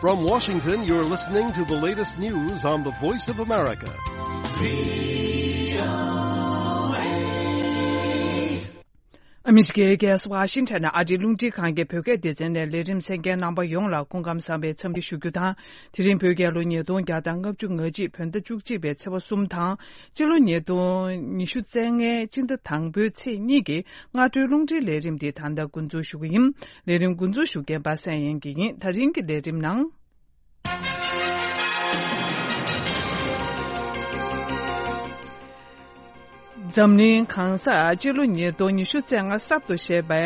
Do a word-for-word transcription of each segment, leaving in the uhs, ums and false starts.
From Washington, you're listening to the latest news on the Voice of America. ཨ་མི་རི་ཀའི་རྒྱལ་ས་ཝ་ཤིང་ཊོན་ནས་ཨ་རིའི་རླུང་འཕྲིན་ཁང་གི་བོད་སྐད་སྡེ་ཚན་ནས་ལས་རིམ་གསན་མཁན་རྣམ་པ་ཡོངས་ལ་སྐུ་ཁམས་བཟང་བའི་འཚམས་འདྲི་ཞུ་རྒྱུ་དང་། དེ་རིང་བོད་རྒྱལ་ལོ་ཉིས་སྟོང་བརྒྱ་དང་ལྔ་བཅུ་ང་གཅིག་བོད་ཟླ་བཅུ་གཅིག་པའི་ཚེས་པ་གསུམ་དང་། སྤྱི་ལོ་ཉིས་སྟོང་ཉི་ཤུ་རྩ་ལྔའི་སྤྱི་ཟླ་དང་པོའི་ཚེས་གཉིས་ཀྱི་སྔ་དྲོའི་རླུང་འཕྲིན་ལས་རིམ་འདི་ད་ལྟ་འགོ་འཛུགས་ཞུ་གི་ཡིན། ལས་རིམ་འགོ་འཛུགས་ཞུ་མཁན་པ་སངས་དབྱངས་སྐྱིད་ཡིན། ད་རིང་གི་ལས་རིམ་ནང་། འཛམ་གླིང་གང་སར་སྤྱི་ལོ་ཉིས་སྟོང་ཉི་ཤུ་རྩ་ལྔ་གསར་དུ་བཞད་པའི་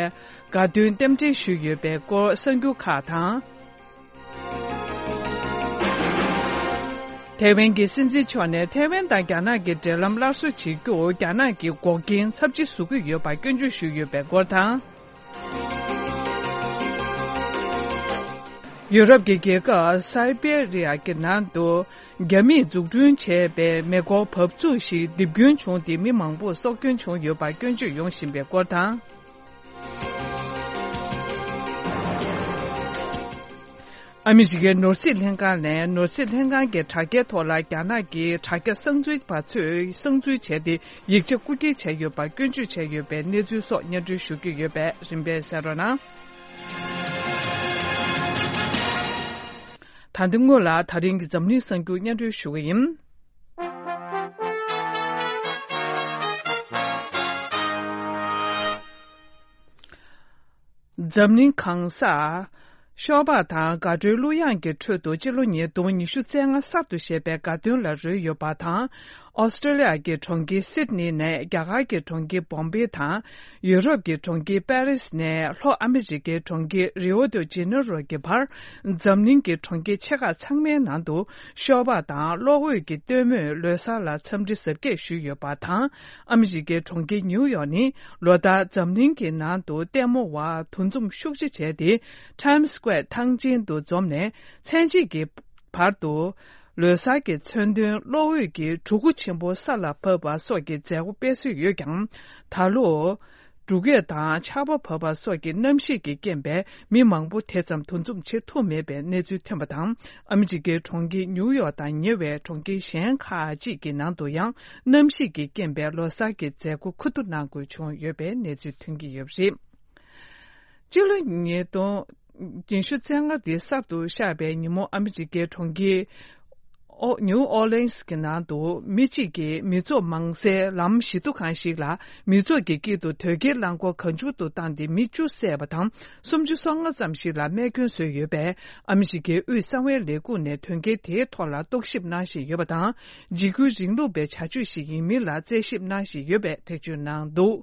དགའ་སྟོན་རྟེན་འབྲེལ་ཞུས་ཡོད་པའི་སྐོར་གསར་འགྱུར་ཁག་དང་། ཐའེ་ཝན་གྱི་སྲིད་འཛིན་མཆོག་ནས་ཐའེ་ཝན་དང་རྒྱ་ནག་གི་འབྲེལ་ལམ་སླར་གསོ་བྱེད་རྒྱུར་རྒྱ་ནག་གིས་འགོག་རྐྱེན་ཚབས་ཆེ་བཟོ་གི་ཡོད་པ་སྐྱོན་བརྗོད་ཞུས་ཡོད་པའི་སྐོར་དང་། ཡུ་རོབ་ཀྱི་རྒྱལ་ཁབ་སའི་པེ་རི་ཡ་གི་ནང་དུ་རྒྱ་མིས་འཛུགས་སྐྲུན་བྱས་པའི་མེ་འཁོར་འབབ་ཚུགས་ཤིག་རྡིབ་སྐྱོན་བྱུང་སྟེ་མི་མང་པོར་སྲོག་སྐྱོན་བྱུང་ཡོད་པ་སྐྱོན་བརྗོད་ཡོང་བཞིན་པའི་སྐོར་དང་། ཨ་མི་རི་ཀའི་ནོར་སྲིད་ལྷན་ཁང་ནས་ནོར་སྲིད་ལྷན་ཁང་གི་དྲ་རྒྱའི་ཐོག་ལ་རྒྱ་ནག་གི་དྲ་རྒྱ་གསང་འཛུལ་པ་ཚོས་གསང་འཛུལ་བྱས་ཏེ་ཡིག་ཆ་རྐུ་འཁྱེར་བྱས་ཡོད་པར་སྐྱོན་བརྗོད་བྱས་ཡོད་པའི་གནས་ཚུལ་སོགས་སྙན་སྒྲོན་ཞུ་གི་ཡོད་པས་རིམ་པས་གསན་རོགས་གནང་། ད་ལྟ་སྔོན་ལ་ད་རིང་གི་འཛམ་གླིང་གསར་འགྱུར་སྙན་སྒྲོན་ཞུ་གི་ཡིན། འཛམ་གླིང་གང་སར་ཤོག་སྦག་དང་དགའ་སྤྲོའི་གླུ་དབྱངས་ཀྱི་ཁྲོད་དུ་སྤྱི་ལོ་ཉིས་སྟོང་ཉི་ཤུ་རྩ་ལྔ་གསར་དུ་བཞད་པའི་དགའ་སྟོན་ལ་རོལ་ཡོད་པ་དང་། ཨོ་སི་ཀྲོ་ལི་ཡ་གི་གྲོང་ཁྱེར་སིད་ནི་ནས་རྒྱ་གར་གྱི་གྲོང་ཁྱེར་བོམ་པེ་དང་། ཡུ་རོབ་ཀྱི་གྲོང་ཁྱེར་པེ་རིས་ནས་ལྷོ་ཨ་མི་རི་ཀའི་གྲོང་ཁྱེར་རིའོ་ཏོ་ཇེ་ནེ་རོ་གྱི་བར། འཛམ་གླིང་གི་གྲོང་ཁྱེར་ཆེ་ཁག་ཚང་མའི་ནང་དུ་ཤོག་སྦག་དང་གློག་འོད་ཀྱི་སྟོན་མོས་ལོ་གསར་ལ་འཚམས་འདྲི་གཟབ་རྒྱས་ཞུས་ཡོད་པ་དང་། ཨ་མི་རི་ཀའི་གྲོང་ཁྱེར་ནིའུ་ཡོག་ནི་ལོ་ལྟར་འཛམ་གླིང་གི་ནང་དུ་ལྟད་མོ་བ་འདུ་འཛོམས་ཤུགས་ཆེ་བྱས་ཏེ། Times Square་ཐང་ཆེན་དུ་འཛོམས་ནས་མཚན་ཕྱེད་ཀྱི་བར་དུ། ལོ་གསར་གྱི་མཚོན་དོན་གློག་འོད་ཀྱི་གྲུ་གུ་ཆེན་པོ་ས་ལ་བབས་པ་སོགས་ཀྱི་མཛད་སྒོ་སྤེལ་སྲོལ་ཡོད་ཀྱང་། ད་ལོ། འབྲུག་སྐད་དང་ཆར་པ་བབས་པ་སོགས་ཀྱི་གནམ་གཤིས་ཀྱི་རྐྱེན་པས་མི་མང་པོ་དེ་ཙམ་འདུ་འཛོམས་བྱེད་ཐུབ་མེད་པའི་གནས་ཚུལ་ཐོན་པ་དང་། ཨ་མི་རི་ཀའི་གྲོང་ཁྱེར་ནིའུ་ཡོག་དང་ཉེ་བའི་གྲོང་ཁྱེར་གཞན་ཁག་ཅིག་གི་ནང་དུ་ཡང་གནམ་གཤིས་ཀྱི་རྐྱེན་པས་ལོ་གསར་གྱི་མཛད་སྒོ་ཁུ་བསྡུ་གནང་དགོས་བྱུང་ཡོད་པའི་གནས་ཚུལ་ཐོན་གྱི་ཡོད་པ་རེད། སྤྱི་ལོ་ཉིས་སྟོང་ཉི་ཤུ་རྩ་ལྔ་འདི་གསར་དུ་ཤར་བའི་ཉིན་མོ་ཨ་མི་རི་ཀའི་གྲོང་ཁྱེར་ཨོ་ནིའུ་ཨོ་ལེན་སི་གི་ནང་དུ་མི་གཅིག་གིས་མི་ཚོགས་མང་སའི་ལམ་བཞི་མདོ་ཁང་ཞིག་ལ་མི་ཚོགས་ཀྱི་དཀྱིལ་དུ་དོས་སྐྱེལ་རླངས་འཁོར་གང་བྱུང་དུ་བཏང་སྟེ་མི་བཅུ་བསད་པ་དང་སུམ་ཅུ་སོ་ལྔ་ཙམ་ཞིག་ལ་རྨས་སྐྱོན་བཟོས་ཡོད་པས། ཨ་མི་རི་ཀའི་དབུས་གསང་བའི་ལས་ཁུངས་ནས་དོན་རྐྱེན་དེའི་ཐོག་ལ་རྟོག་ཞིབ་གནང་བཞིན་ཡོད་པ་དང་། འཇིགས་སྐུལ་རིང་ལུགས་པའི་བྱ་སྤྱོད་ཞིག་ཡིན་མིན་ལ་རྩད་ཞིབ་གནང་བཞིན་ཡོད་པའི་འགྲེལ་བརྗོད་གནང་འདུག་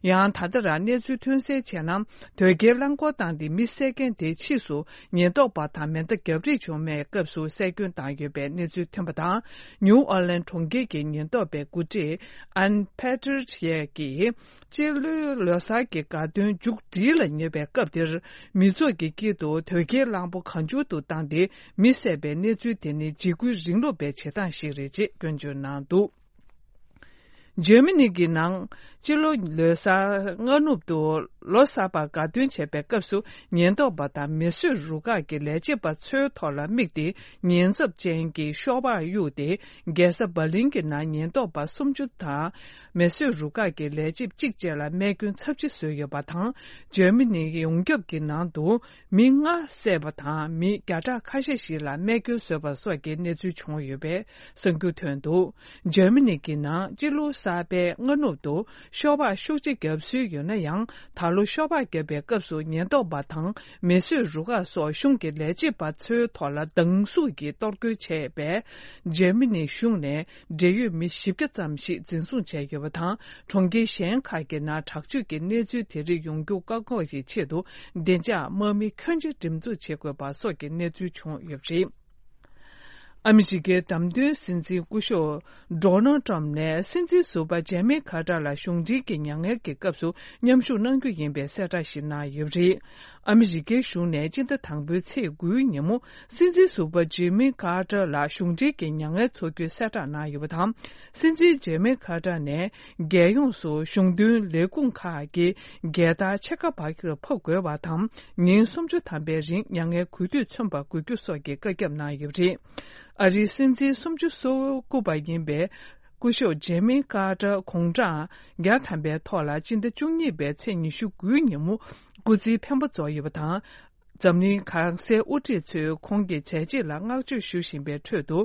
ཡང་ད་ལྟ་རང་གནས་ཚུལ་ཐོན་གསལ་བྱས་ན། དོས་སྐྱེལ་རླངས་འཁོར་བཏང་སྟེ་མི་བསད་མཁན་དེའི་ཕྱིས་སུ་ཉེན་རྟོག་པ་དང་མེ་མདའ་རྒྱག་རེས་བྱུང་བའི་སྐབས་སུ་བསད་སྐྱོན་བཏང་ཡོད་པའི་གནས་ཚུལ་ཐོན་པ་དང་། ནིའུ་ཨོ་ལན་གྲོང་ཁྱེར་གྱི་ཉེན་རྟོག་པའི་འགོ་ཁྲིད་ཨན་ཕེ་ཏྲི་ཡེ་གིས། སྤྱི་ལོའི་ལོ་གསར་གྱི་དགའ་སྟོན་མཇུག་སྒྲིལ་ལ་ཉེ་བའི་སྐབས་དེར། མི་ཚོགས་ཀྱི་དཀྱིལ་དུ་དོས་སྐྱེལ་རླངས་འཁོར་གང་བྱུང་དུ་བཏང་སྟེ་མི་བསད་པའི་གནས་ཚུལ་དེ་ནི་འཇིགས་སྐུལ་རིང་ལུགས་པའི་བྱེད་སྟངས་ཤིག་རེད་ཅེས་སྐྱོན་བརྗོད་གནང་འདུག་འཇར་མ་ནི་གི་ནང་སྤྱི་ལོ་ལོ་གསར་སྔ་ནུབ་ཏུ་ལོ་གསར་པར་དགའ་སྟོན་བྱེད་པའི་སྐབས་སུ་ཉེན་རྟོག་པ་དང་མེ་གསོད་རུ་ཁག་གི་ལས་བྱེད་པ་ཚོའི་ཐོག་ལ་དམིགས་ཏེ་ཉེན་ཚབས་ཅན་གྱི་ཤོག་སྦག་གཡུགས་ཏེ། རྒྱལ་ས་འབར་ལིན་གྱི་ནང་ཉེན་རྟོག་པ་སུམ་ཅུ་དང་མེ་གསོད་རུ་ཁག་གི་ལས་བྱེད་གཅིག་བཅས་ལ་རྨས་སྐྱོན་ཚབས་ཆེ་བཟོས་ཡོད་པ་དང་། འཇར་མ་ནི་ཡོངས་ཁྱབ་ཀྱི་ནང་དུ། མི་ལྔ་བསད་པ་དང་མི་བརྒྱ་ཕྲག་ཁ་ཤས་ཤིག་ལ་རྨས་སྐྱོན་བཟོས་པ་སོགས་ཀྱི་གནས་ཚུལ་བྱུང་ཡོད་པའི་གསར་འགྱུར་ཐོན་འདུག་འཇར་མ་ནི་གི་ནང་སྤྱི་ལོ་གསར་པའི་སྔ་ནུབ་ཏུ་ཤོག་སྦག་ཤུགས་ཆེ་བརྒྱབ་སྲོལ་ཡོད་ན་ཡང་། ད་ལོ་ཤོག་སྦག་བརྒྱབ་པའི་སྐབས་སུ་ཉེན་རྟོག་པ་དང་མེ་གསོད་རུ་ཁག་སོགས་གཞུང་གི་ལས་བྱེད་པ་ཚོའི་ཐོག་ལ་སྡང་ཟུག་གིས་གཏོར་རྒོལ་བྱས་པས། འཇར་མ་ནི་གཞུང་ནས་འབྲེལ་ཡོད་མི་བཞི་བརྒྱ་ཙམ་ཞིག་འཛིན་བཟུང་བྱས་ཡོད་པ་དང་། གྲོང་ཁྱེར་གཞན་ཁག་གི་ནང་དྲག་སྤྱོད་ཀྱི་གནས་ཚུལ་དེ་རིགས་ཡོང་རྒྱུ་བཀག་འགོག་གི་ཆེད་དུ། བདེ་འཇགས་དམག་མི་ཁྱོན་ཆེ་འགྲེམས་འཛུགས་བྱེད་དགོས་པ་སོགས་ཀྱི་གནས་ཚུལ་བྱུང་ཡོད་པ་རེད། ཨ་མི་རི་ཀའི་བདམས་ཐོན་སྲིད་འཛིན་སྐུ་ཞབས་ཌོ་ནལ་ཊམ་ནས་སྲིད་འཛིན་ཟུར་པ་ཇེ་མི་ཁ་ཏར་ལ་གཞུང་འབྲེལ་གྱི་མྱ་ངན་གྱི་སྐབས་སུ་མཉམ་ཞུགས་གནང་རྒྱུ་ཡིན་པའི་གསལ་བསྒྲགས་ཤིག་གནང་ཡོད་པ་རེད། ཨ་མི་རི་ཀའི་གཞུང་ནས་སྤྱི་ཟླ་དང་པོའི་ཚེས་དགུའི་ཉིན་མོ་སྲིད་འཛིན་ཟུར་པ་ཇེ་མི་ཁ་ཏར་ལ་གཞུང་འབྲེལ་གྱི་མྱ་ངན་འཚོགས་རྒྱུའི་གསལ་བསྒྲགས་གནང་ཡོད་པ་དང་། སྲིད་འཛིན་ཇེ་མི་ཁ་ཏར་ནས་རྒྱལ་ཡོངས་སུ་གཞུང་དོན་ལས་ཁུངས་ཁག་གི་རྒྱལ་དར་ཕྱེད་ཀ་བར་ཕབ་དགོས་པ་དང་། ཉིན་སུམ་ཅུ་ཐམ་པའི་རིང་མྱ་ངན་གུས་འདུད་མཚོན་པ་དགོས་རྒྱུ་སོགས་ཀྱི་བཀའ་ཁྱབ་གནང་ཡོད་པ་རེད། ཨ་རིའི་སྲིད་འཛིན་སུམ་ཅུ་སོ་དགུ་པ་ཡིན་པའི་སྐུ་ཞབས་ཇེ་མི་ཀར་ཏར་དགུང་གྲངས་བརྒྱ་ཐམ་པའི་ཐོག་ལ་སྤྱི་ཟླ་བཅུ་གཉིས་པའི་ཚེས་ཉི་ཤུ་དགུའི་ཉིན་མོ་སྐུ་ཚེའི་འཕེན་པ་རྫོགས་ཡོད་པ་དང་། འཛམ་གླིང་གང་སའི་དབུ་ཁྲིད་ཚོས་ཁོང་གི་བྱས་རྗེས་ལ་བསྔགས་བརྗོད་ཞུ་བཞིན་པའི་ཁྲོད་དུ།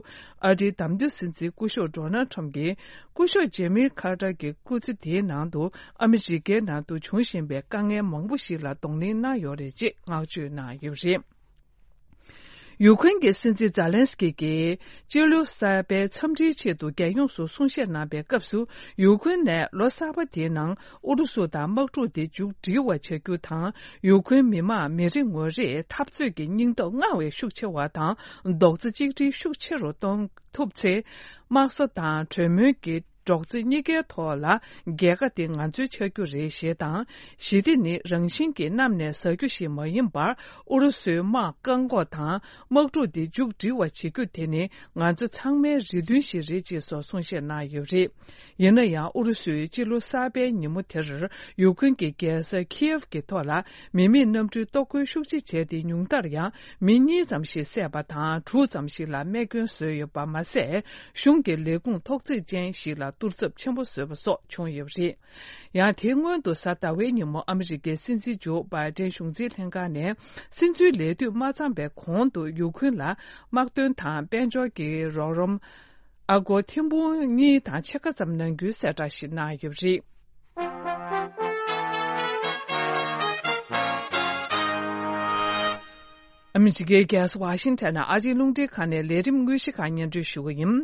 ཨ་རིའི་བདམས་ཐོན་སྲིད་འཛིན་སྐུ་ཞབས་ཌོ་ནལ་ཁྲམ་གྱིས་སྐུ་ཞབས་ཇེ་མི་ཁར་ཏར་གྱི་སྐུ་ཚེ་དེའི་ནང་དུ་ཨ་མི་རི་ཀའི་ནང་དུ་བྱུང་བཞིན་པའི་དཀའ་ངལ་མང་པོ་ཞིག་ལ་གདོང་ལེན་གནང་ཡོད་རེད་ཅེས་བསྔགས་བརྗོད་གནང་ཡོད་པ་རེད། ཡུ་ཁུན་གྱི་སྲིད་འཛིན་ཛཱ་ལན་སི་ཀི་གིས་སྤྱི་ལོ་གསར་པའི་འཚམས་འདྲིའི་ཆེད་དུ་རྒྱལ་ཡོངས་སུ་གསུང་བཤད་གནང་པའི་སྐབས་སུ། ཡུ་ཁུན་ནས་ལོ་གསར་པ་དེའི་ནང་ཨུ་རུ་སུ་དང་དམག་འཁྲུག་དེ་མཇུག་སྒྲིལ་བ་བྱ་རྒྱུ་དང་། ཡུ་ཁུན་མི་དམངས་མི་རེ་ངོ་རེས་འཐབ་རྩོད་ཀྱི་སྙིང་སྟོབས་སྔར་བས་ཤུགས་ཆེ་བ་དང་། རྡོག་རྩ་གཅིག་སྒྲིལ་ཤུགས་ཆེ་རུ་གཏོང་ཐུབ་ཚེ། དམག་ས་དང་གྲོས་མོལ་གྱི་རྡོག་རྩ་གཉིས་ཀའི་ཐོག་ལ་རྒྱལ་ཁ་དེ་ང་ཚོའི་ཆགས་རྒྱུ་རེད་ཞེས་དང་། ཞི་བདེ་ནི་རང་བཞིན་གྱིས་གནམ་ནས་ཟག་རྒྱུ་ཞིག་མ་ཡིན་པར། ཨུ་རུ་སུའི་དམག་བཀག་འགོག་དང་དམག་འཁྲུག་འདི་མཇུག་སྒྲིལ་བ་བྱེད་རྒྱུ་དེ་ནི་ང་ཚོ་ཚང་མའི་རེ་འདུན་ཞིག་རེད་ཅེས་སོགས་གསུང་བཤད་གནང་ཡོད་པ་རེད། ཡིན་ན་ཡང་ཨུ་རུ་སུས་སྤྱི་ལོ་གསར་པའི་ཉིན་མོ་དེར་ཡུ་ཁུན་གྱི་རྒྱལ་ས་ཁིའེབ་ཀྱི་ཐོག་ལ་མི་མེད་གནམ་གྲུའི་གཏོར་རྒོལ་ཤུགས་ཆེ་བྱས་ཏེ། ཉུང་མཐར་ཡང་མི་གཉིས་ཙམ་ཞིག་བསད་པ་དང་། དྲུག་ཙམ་ཞིག་ལ་རྨས་སྐྱོན་བཟོས་ཡོད་པ་མ་ཟད། གཞུང་གི་ལས་ཁུངས་ཐོག་བརྩེགས་ཅན་ཞིག་ལ་གཏོར་ཚབས་ཆེན་པོ་བཟོས་པ་སོགས་བྱུང་ཡོད་པ་རེད། ཡང་དེའི་སྔོན་དུ་གཟའ་ཟླ་བའི་ཉིན་མོ་ཨ་མི་རི་ཀའི་སྲིད་འཛིན་ཇོ་བྷའི་ཏན་གཞུང་འཛིན་ལྷན་ཁང་ནས་སྲིད་འཛིན་ལས་དུས་མ་ཚང་པའི་གོང་དུ་ཡུ་ཁུན་ལ་དམག་དོན་དང་དཔལ་འབྱོར་གྱི་རོགས་རམ་ཨ་སྒོར་ཐེར་འབུམ་གཉིས་དང་ཕྱེད་ཀ་ཙམ་གནང་རྒྱུའི་གསལ་བསྒྲགས་ཤིག་གནང་ཡོད་པ་རེད། ཨ་མི་རི་ཀའི་རྒྱལ་ས་ཝ་ཤིང་ཊོན་ནང་ཨ་རིའི་རླུང་འཕྲིན་ཁང་ནས་ལས་རིམ་དངོས་གཞི་ཁག་སྙན་སྒྲོན་ཞུ་གི་ཡིན།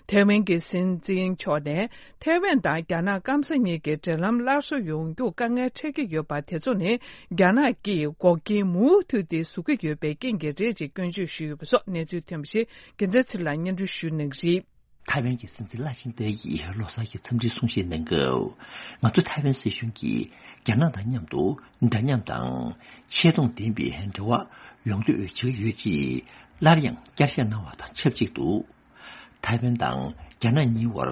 ཐའེ་ཝན་གྱི་སྲིད་འཛིན་མཆོག་ནས་ཐའེ་ཝན་དང་རྒྱ་ནག་སྐམ་ས་གཉིས་ཀྱི་འབྲེལ་ལམ་སླར་གསོ་ཡོང་རྒྱུར་དཀའ་ངལ་འཕྲད་ཀྱི་ཡོད་པ་དེ་ཚོ་ནི་རྒྱ་ནག་གིས་འགོག་རྐྱེན་མུ་མཐུད་དེ་བཟོ་གི་ཡོད་པའི་རྐྱེན་གྱིས་རེད་ཅེས་སྐྱོན་བརྗོད་ཞུས་ཡོད་པ་སོགས་གནས་ཚུལ་ཐོན་པ་ཞིག་རྒྱལ་མཚན་ཚེ་ལགས་སྙན་སྒྲོན་ཞུ་གནང་གི་རེད། ཐའེ་ཝན་གྱི་སྲིད་འཛིན་ལའེ་ཆིང་ཏེ་ཡིས་ལོ་གསར་གྱི་འཚམས་འདྲིའི་གསུང་བཤད་གནང་སྐབས། ང་ཚོ་ཐའེ་ཝན་སྲིད་གཞུང་གིས་རྒྱ་ནག་དང་མཉམ་དུ་འདྲ་མཉམ་དང་ཆེ་མཐོང་ལྡན་པའི་འབྲེལ་བ་ཡོང་འདོད་བྱེད་ཀྱི་ཡོད་ཅེས་སླར་ཡང་བསྐྱར་བཤད་གནང་བ་དང་ཆབས་ཅིག་ཏུ། ཐའེ་ཝན་དང་རྒྱ་ནག་གཉིས་བར་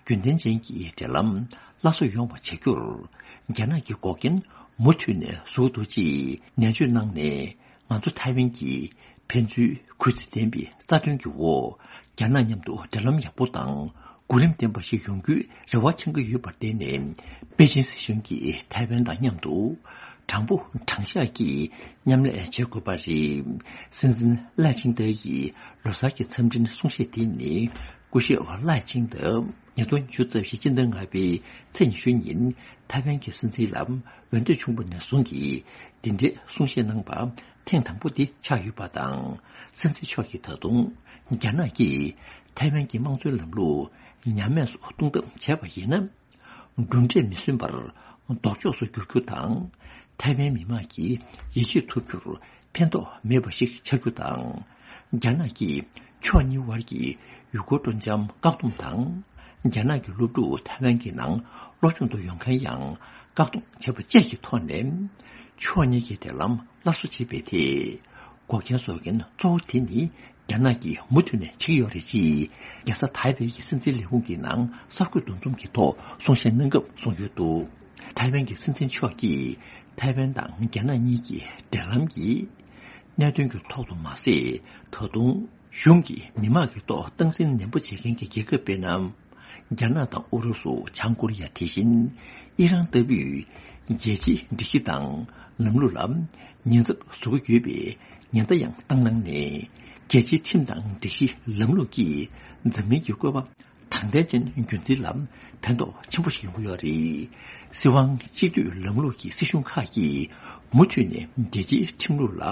རྒྱུན་ལྡན་ཅན་གྱི་འབྲེལ་ལམ་སླར་གསོ་ཡོང་བ་བྱ་རྒྱུར་རྒྱ་ནག་གིས་འགོག་རྐྱེན་མུ་མཐུད་ནས་བཟོ་གི་འདུག་ཅེས་ནན་བརྗོད་གནང་ནས། ང་ཚོ་ཐའེ་ཝན་གྱིས་ཕན་ཚུན་གུས་བརྩི་ལྡན་པའི་རྩ་དོན་གྱི་འོག་རྒྱ་ནག་མཉམ་དུ་འབྲེལ་ལམ་ཡག་པོ་དང་གོ་རིམ་ལྡན་པ་ཞིག་ཡོང་རྒྱུའི་རེ་བ་འཆང་གི་ཡོད་པར་བརྟེན་ནས། པེ་ཅིན་སྲིད་གཞུང་གིས་ཐའེ་ཝན་དང་མཉམ་དུ་དྲང་པོ་དྲང་བཞག་གིས་མཉམ་ལས་བྱེད་དགོས་པ་རེད། སྲིད་འཛིན་ལའེ་ཆིང་ཏེ་ཡིས་ལོ་གསར་གྱི་འཚམས་འཕྲིན་གསུང་བཤད་དེ་ནི། སྐུ་ཞབས་ལའེ་ཆིང་ཏེ་ཉིས་སྟོང་ཉི་ཤུ་རྩ་བཞི་སྤྱི་ཟླ་ལྔ་པའི་ཚེས་ཉི་ཤུ་ཉིན་ཐའེ་ཝན་གྱི་སྲིད་འཛིན་ལ་འོས་འདེམས་བྱུང་བ་ནས་བཟུང་གི་འདི་འདྲའི་གསུང་བཤད་གནང་པ་ཐེངས་དང་པོ་དེ་ཆགས་ཡོད་པ་དང་། སྲིད་འཛིན་མཆོག་གིས་ད་དུང་རྒྱ་ནག་གིས་ཐའེ་ཝན་གྱི་དམངས་གཙོའི་ལམ་ལུགས་ཉམས་དམས་སུ་གཏོང་ཐབས་བྱས་པ་ཡིན་ན། གྲུབ་འབྲས་མི་སོན་པར་ལྡོག་ཕྱོགས་སུ་འགྱུར་རྒྱུ་དང་། ཐའེ་ཝན་མི་དམངས་ཀྱིས་ཡིད་ཆེས་ཐུབ་རྒྱུར་ཕན་ཐོགས་མེད་པ་ཞིག་ཆགས་རྒྱུ་དང་། རྒྱ་ནག་གིས་ཕྱོགས་གཉིས་དབར་གྱི་ཡུལ་སྐོར་སྤྲོ་འཆམ་བཀག་སྡོམ་དང་། རྒྱ་ནག་གི་སློབ་ཕྲུག་ཐའེ་ཝན་གྱི་ནང་སློབ་སྦྱོང་དུ་ཡོང་མཁན་ཡང་བཀག་སྡོམ་བྱས་པ་བཅས་ཀྱི་ཐོག་ནས། ཕྱོགས་གཉིས་ཀྱི་འབྲེལ་ལམ་སླར་གསོ་བྱེད་པའི་ཐད། འགོག་རྐྱེན་བཟོ་མཁན་གཙོ་བོ་དེ་ནི་རྒྱ་ནག་གིས་མུ་མཐུད་ནས་བྱེད་ཀྱི་ཡོད་རེད་ཅེས། རྒྱལ་ས་ཐའེ་པེ་ཡི་སྲིད་འཛིན་ལས་ཁུངས་ཀྱི་ནང་གསར་འགོད་འདུ་འཛོམས་ཀྱི་ཐོག་གསུང་བཤད་གནང་སྐབས་གསུངས་ཡོད་འདུག་ཐའེ་ཝན་གྱི་སྲིད་འཛིན་མཆོག་གིས་ཐའེ་ཝན་དང་རྒྱ་ནག་གཉིས་ཀྱི་འབྲེལ་ལམ་གྱི་གནད་དོན་གྱི་ཐོག་ཏུ་མ་ཟད། ད་དུང་གཞུང་གིས་མི་དམངས་ཀྱི་ཐོག་སྟངས་འཛིན་ནན་པོ་བྱེད་མཁན་གྱི་རྒྱལ་ཁབ་དཔེར་ན། རྒྱ་ནག་དང་ཨུ་རུ་སུ། བྱང་ཀོ་རི་ཡ། དེ་བཞིན་ཨི་རན་ལྟ་བུའི་རྒྱལ་སྤྱིའི་སྒྲིག་གཞི་དང་ལམ་ལུགས་ལ་ཉེན་ཚབས་བཟོ་གི་ཡོད་པའི་ཉེན་བརྡ་ཡང་བཏང་གནང་ནས། རྒྱལ་སྤྱིའི་ཁྲིམས་དང་སྒྲིག་གཞི་ལམ་ལུགས་ཀྱིས་འཛམ་གླིང་གི་བཀོད་པ་དྲང་བདེན་ཅན་རྒྱུན་འཛིན་ལ་ཕན་ཐོགས་ཆེན་པོ་ཞིག་ཡོང་གི་ཡོད་རེད། སྲིད་དབང་གཅིག་སྡུད་ལམ་ལུགས་ཀྱི་སྲིད་གཞུང་ཁག་གིས་མུ་མཐུད་ནས་རྒྱལ་སྤྱིའི་ཁྲིམས་ལུགས་ལ་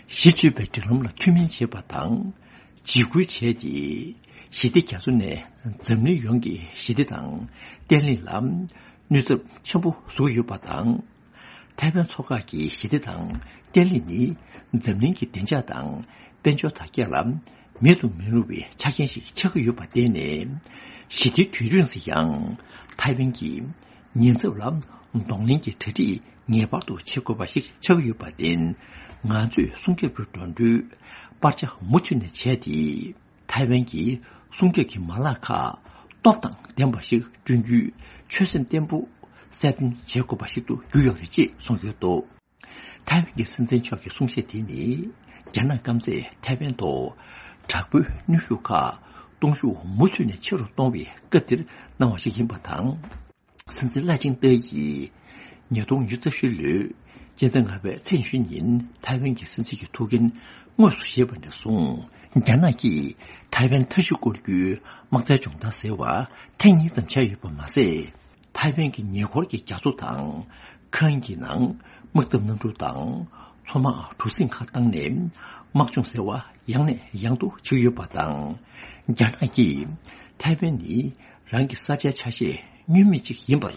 གཞི་བཅོལ་བའི་འབྲེལ་ལམ་ལ་མཐུན་མིན་བྱེད་པ་དང་། འཇིགས་སྐུལ་བྱས་ཏེ། ཞི་བདེ་རྒྱ་མཚོ་ནས་འཛམ་གླིང་ཡོངས་ཀྱི་ཞི་བདེ་དང་བརྟན་ལྷིང་ལ་གནོད་ཚབས་ཆེན་པོ་བཟོ་གི་ཡོད་པ་དང་། ཐའེ་ཝན་མཚོ་འགག་གི་ཞི་བདེ་དང་བརྟན་ལྷིང་ནི་འཛམ་གླིང་གི་བདེ་འཇགས་དང་དཔལ་འབྱོར་དར་རྒྱས་ལ་ མེད་དུ་མི་རུང་བའི་ཆ་རྐྱེན་ཞིག་ཆགས་ཀྱི་ཡོད་པར་བརྟེན་ནས། ཞི་བདེའི་དུས་རིང་སུ་ཡང་ཐའེ་ཝན་གྱི་ཉེན་ཚབས་ལ་གདོང་ལེན་གྱི་གྲ་སྒྲིག་ངེས་པར་དུ་བྱེད་དགོས་པ་ཞིག་ཆགས་ཀྱི་ཡོད་པར་བརྟེན། ང་ཚོས་སྲུང་སྐྱོབ་ཀྱི་འགྲོ་གྲོན་པར་ཆ་མུ་མཐུད་ནས་བྱས་ཏེ། ཐའེ་ཝན་གྱི་སྲུང་སྐྱོབ་ཀྱི་མ་ལག་ཁག་སྟོབས་དང་ལྡན་པ་ཞིག་བསྐྲུན་རྒྱུའི་ཆོད་སེམས་བརྟན་པོ་གསལ་སྟོན་བྱེད་དགོས་པ་ཞིག་ཏུ་གྱུར་ཡོད་རེད་ཅེས་གསུངས་ཡོད་འདུག། ཐའེ་ཝན་གྱི་སྲིད་འཛིན་མཆོག་གི་གསུང་བཤད་དེ་ནི། རྒྱ་ནག་སྐམ་སས་ཐའེ་ཝན་ཐོག་དྲག་པོའི་གནོན་ཤུགས་ཁག་གཏོང་ཤུགས་མུ་མཐུད་ནས་ཆེ་རུ་གཏོང་བའི་སྐབས་འདིར་གནང་བ་ཞིག་ཡིན་པ་དང་། སྲིད་འཛིན་ལའེ་ཆིང་ཏེ་ཡིས་ཉིས་སྟོང་ཉི་ཤུ་རྩ་བཞི་ལོའི་སྤྱི་ཟླ་ལྔ་པའི་ཚེས་ཉི་ཤུ་ཉིན་ཐའེ་ཝན་གྱི་སྲིད་འཛིན་གྱི་ཐུགས་འགན་དངོས་སུ་བཞེས་པ་ནས་བཟུང་། རྒྱ་ནག་གིས་ཐའེ་ཝན་མཐའ་བཞི་སྐོར་གྱི་དམག་རྩལ་སྦྱོང་བརྡར་ཟེར་བ་ཐེངས་གཉིས་ཙམ་བྱས་ཡོད་པ་མ་ཟད། ཐའེ་ཝན་གྱི་ཉེ་འཁོར་གྱི་རྒྱ་མཚོ་དང་། ཁ་ཨན་གྱི་ནང་དམག་འཐབ་གནམ་གྲུ་དང་མཚོ་དམག་གྲུ་གཟིངས་ཁག་བཏང་ནས་དམག་སྦྱོང་ཟེར་བ་ཡང་ནས་ཡང་དུ་བྱེད་ཀྱི་ཡོད་པ་དང་། རྒྱ་ནག་གིས་ཐའེ་ཝན་ནི་རང་གི་ས་ཆའི་ཆ་ཤས་བསྙོན་མེད་ཅིག་ཡིན་པར་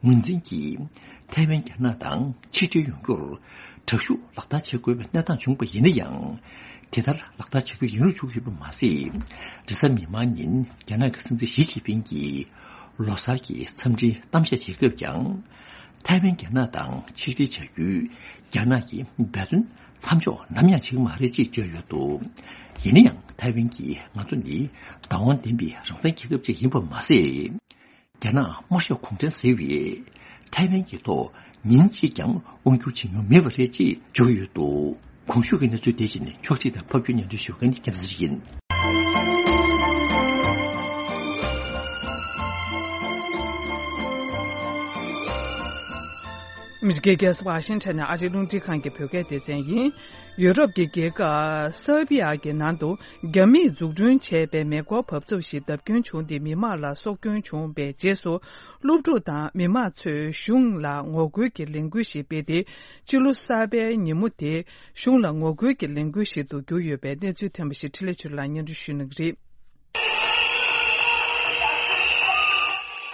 ངོས་འཛིན་གྱིས། ཐའེ་ཝན་རྒྱ་ནག་དང་ཆིག་སྒྲིལ་ཡོང་རྒྱུར་དྲག་ཤུགས་ལག་བསྟར་བྱེད་དགོས་པའི་གནས་སྟངས་བྱུང་པ་ཡིན་ན་ཡང་། དེ་ལྟར་ལག་བསྟར་བྱ་རྒྱུ་ཡིན་རུང་བཅུག་ཡོད་པ་མ་ཟད། རེས་གཟའ་མིག་དམར་ཉིན་རྒྱ་ནག་གི་སྲིད་འཛིན་ཞི་ཅིན་ཕིང་གིས་ལོ་གསར་གྱི་འཚམས་འདྲིའི་གཏམ་བཤད་བྱེད་སྐབས་ཀྱང་། ཐའེ་ཝན་རྒྱ་ནག་དང་ཆིག་སྒྲིལ་བྱ་རྒྱུའི་རྒྱ་ནག་གི་འབད་བརྩོན་མཚམས་འཇོག་ནམ་ཡང་བྱེད་ཀྱི་མ་རེད་ཅེས་བརྗོད་ཡོད་འདུག། ཡིན་ན་ཡང་ཐའེ་ཝན་གྱིས་ང་ཚོ་ནི་བདག་དབང་ལྡན་པའི་རང་བཙན་རྒྱལ་ཁབ་ཅིག་ཡིན་པ་མ་ཟད། རྒྱ་ནག་དམར་ཤོག་གུང་ཁྲན་ཟེར་བས་ཐའེ་ཝན་གྱི་ཐོག་ཉིན་གཅིག་ཀྱང་དབང་བསྒྱུར་བྱེད་མྱོང་མེད་པ་རེད་ཅེས་བརྗོད་ཡོད་འདུག། གོང་ཞུས་ཀྱི་གནས་ཚུལ་དེ་བཞིན་ཕྱོགས་སྒྲིག་དང་ཕབ་སྒྱུར་སྙན་སྒྲོན་ཞུ་མཁན་རྒྱལ་མཚན་ཡིན། མི་རིགས་རྒྱལ་ས་ཝ་ཤིང་ཊོན་ནས་ཨ་རིའི་རླུང་འཕྲིན་ཁང་གི་བོད་སྐད་སྡེ་ཚན་ཡིན། ཡུ་རོབ་ཀྱི་རྒྱལ་ཁབ་སར་བྷི་ཡ་གི་ནང་དུ་རྒྱ་མིས་འཛུགས་སྐྲུན་བྱས་པའི་མེ་འཁོར་འབབ་ཚུགས་ཤིག་བརྡབ་སྐྱོན་བྱུང་སྟེ་མི་མང་ལ་སྲོག་སྐྱོན་བྱུང་བའི་རྗེས་སུ། སློབ་ཕྲུག་དང་མི་མང་ཚོས་གཞུང་ལ་ངོ་རྒོལ་གྱི་ལས་འགུལ་ཞིག་སྤེལ་ཏེ། ཕྱི་ལོ་གསར་པའི་ཉིན་མོ་དེ་གཞུང་ལ་ངོ་རྒོལ་གྱི་ལས་འགུལ་ཞིག་ཏུ་གྱུར་ཡོད་པའི་གནས་ཚུལ་ཐོན་པ་ཞིག་འཕྲིན་ལས་ཆོས་ལགས་སྙན་སྒྲོན་ཞུ་གནང་གི་རེད།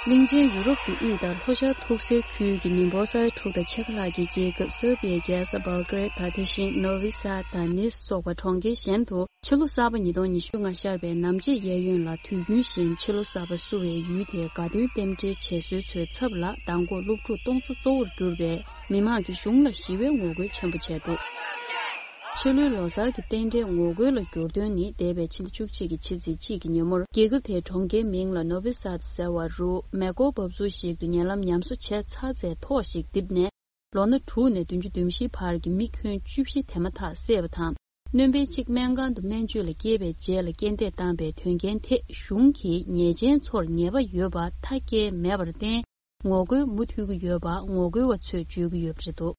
གླིང་ཆེན་ཡུ་རོབ་ཀྱི་དབུས་དང་ལྷོ་ཤར་ཐུག་སའི་ཁུལ་གྱི་མི་འབོར་ས་ཡ་དྲུག་དང་ཕྱེད་ཀ་ལྷག་གི་རྒྱལ་ཁབ་སར་བྷི་ཡའི་རྒྱལ་ས་བྷལ་གྷ་རེད་དང་དེ་བཞིན་ནོ་ཝི་སཱད་དང་ནིས་སོགས་པ་གྲོང་ཁྱེར་གཞན་དུ་ཕྱི་ལོ་གསར་པ་ཉིས་སྟོང་ཉི་ཤུ་ལྔ་ཤར་བའི་ནམ་ཕྱེད་གཡས་གཡོན་ལ་དུས་རྒྱུན་བཞིན་ཕྱི་ལོ་གསར་པ་བསུ་བའི་ཡུལ་དེའི་དགའ་སྟོན་རྟེན་འབྲེལ་བྱེད་སྲོལ་ཚོའི་ཚབ་ལ་མདང་དགོང་སློབ་ཕྲུག་སྟོང་ཚོ་གཙོ་བོར་གྱུར་པའི་མི་མང་གིས་གཞུང་ལ་ཞི་བའི་ངོ་རྒོལ་ཆེན་པོ་བྱས་འདུག། ཕྱི་ལོའི་ལོ་གསར་གྱི་རྟེན་འབྲེལ་ངོ་རྒོལ་ལ་འགྱུར་དོན་ནི་འདས་པའི་ཕྱི་ཟླ་བཅུ་གཅིག་གི་ཕྱི་ཚེས་གཅིག་གི་ཉིན་མོར་རྒྱལ་ཁབ་དེའི་གྲོང་ཁྱེར་མིང་ལ་ནོ་བི་སཱད་ཟེར་བ་རུ་མེ་འཁོར་འབབ་ཚུགས་ཤིག་ཏུ་ཉེ་ལམ་ཉམས་གསོ་བྱས་ཚར་རྗེས་ཐོག་ཞིག་རྡིབ་ནས། ལོ་ན་དྲུག་ནས་བདུན་ཅུ་དོན་བཞིའི་བར་གྱི་མི་ཁྱོན་བཅུ་བཞི་དེ་མ་ཐག་བསད་པ་དང་། སྣོན་པ་གཅིག་སྨན་ཁང་དུ་སྨན་བཅོས་ལ་བསྐྱལ་བའི་རྗེས་ལ་རྐྱེན་འདས་བཏང་པའི་དོན་རྐྱེན་ཐད་གཞུང་གིས་ཉེས་ཅན་ཚོར་ཉེས་པ་ཡོད་པ་མཐའ་སྐྱེལ་མེད་པར་བརྟེན། ངོ་རྒོལ་མུ་མཐུད་ཀྱི་ཡོད་པ་ངོ་རྒོལ་བ་ཚོས་བརྗོད་ཀྱི་ཡོད་པ་རེད་འདུག།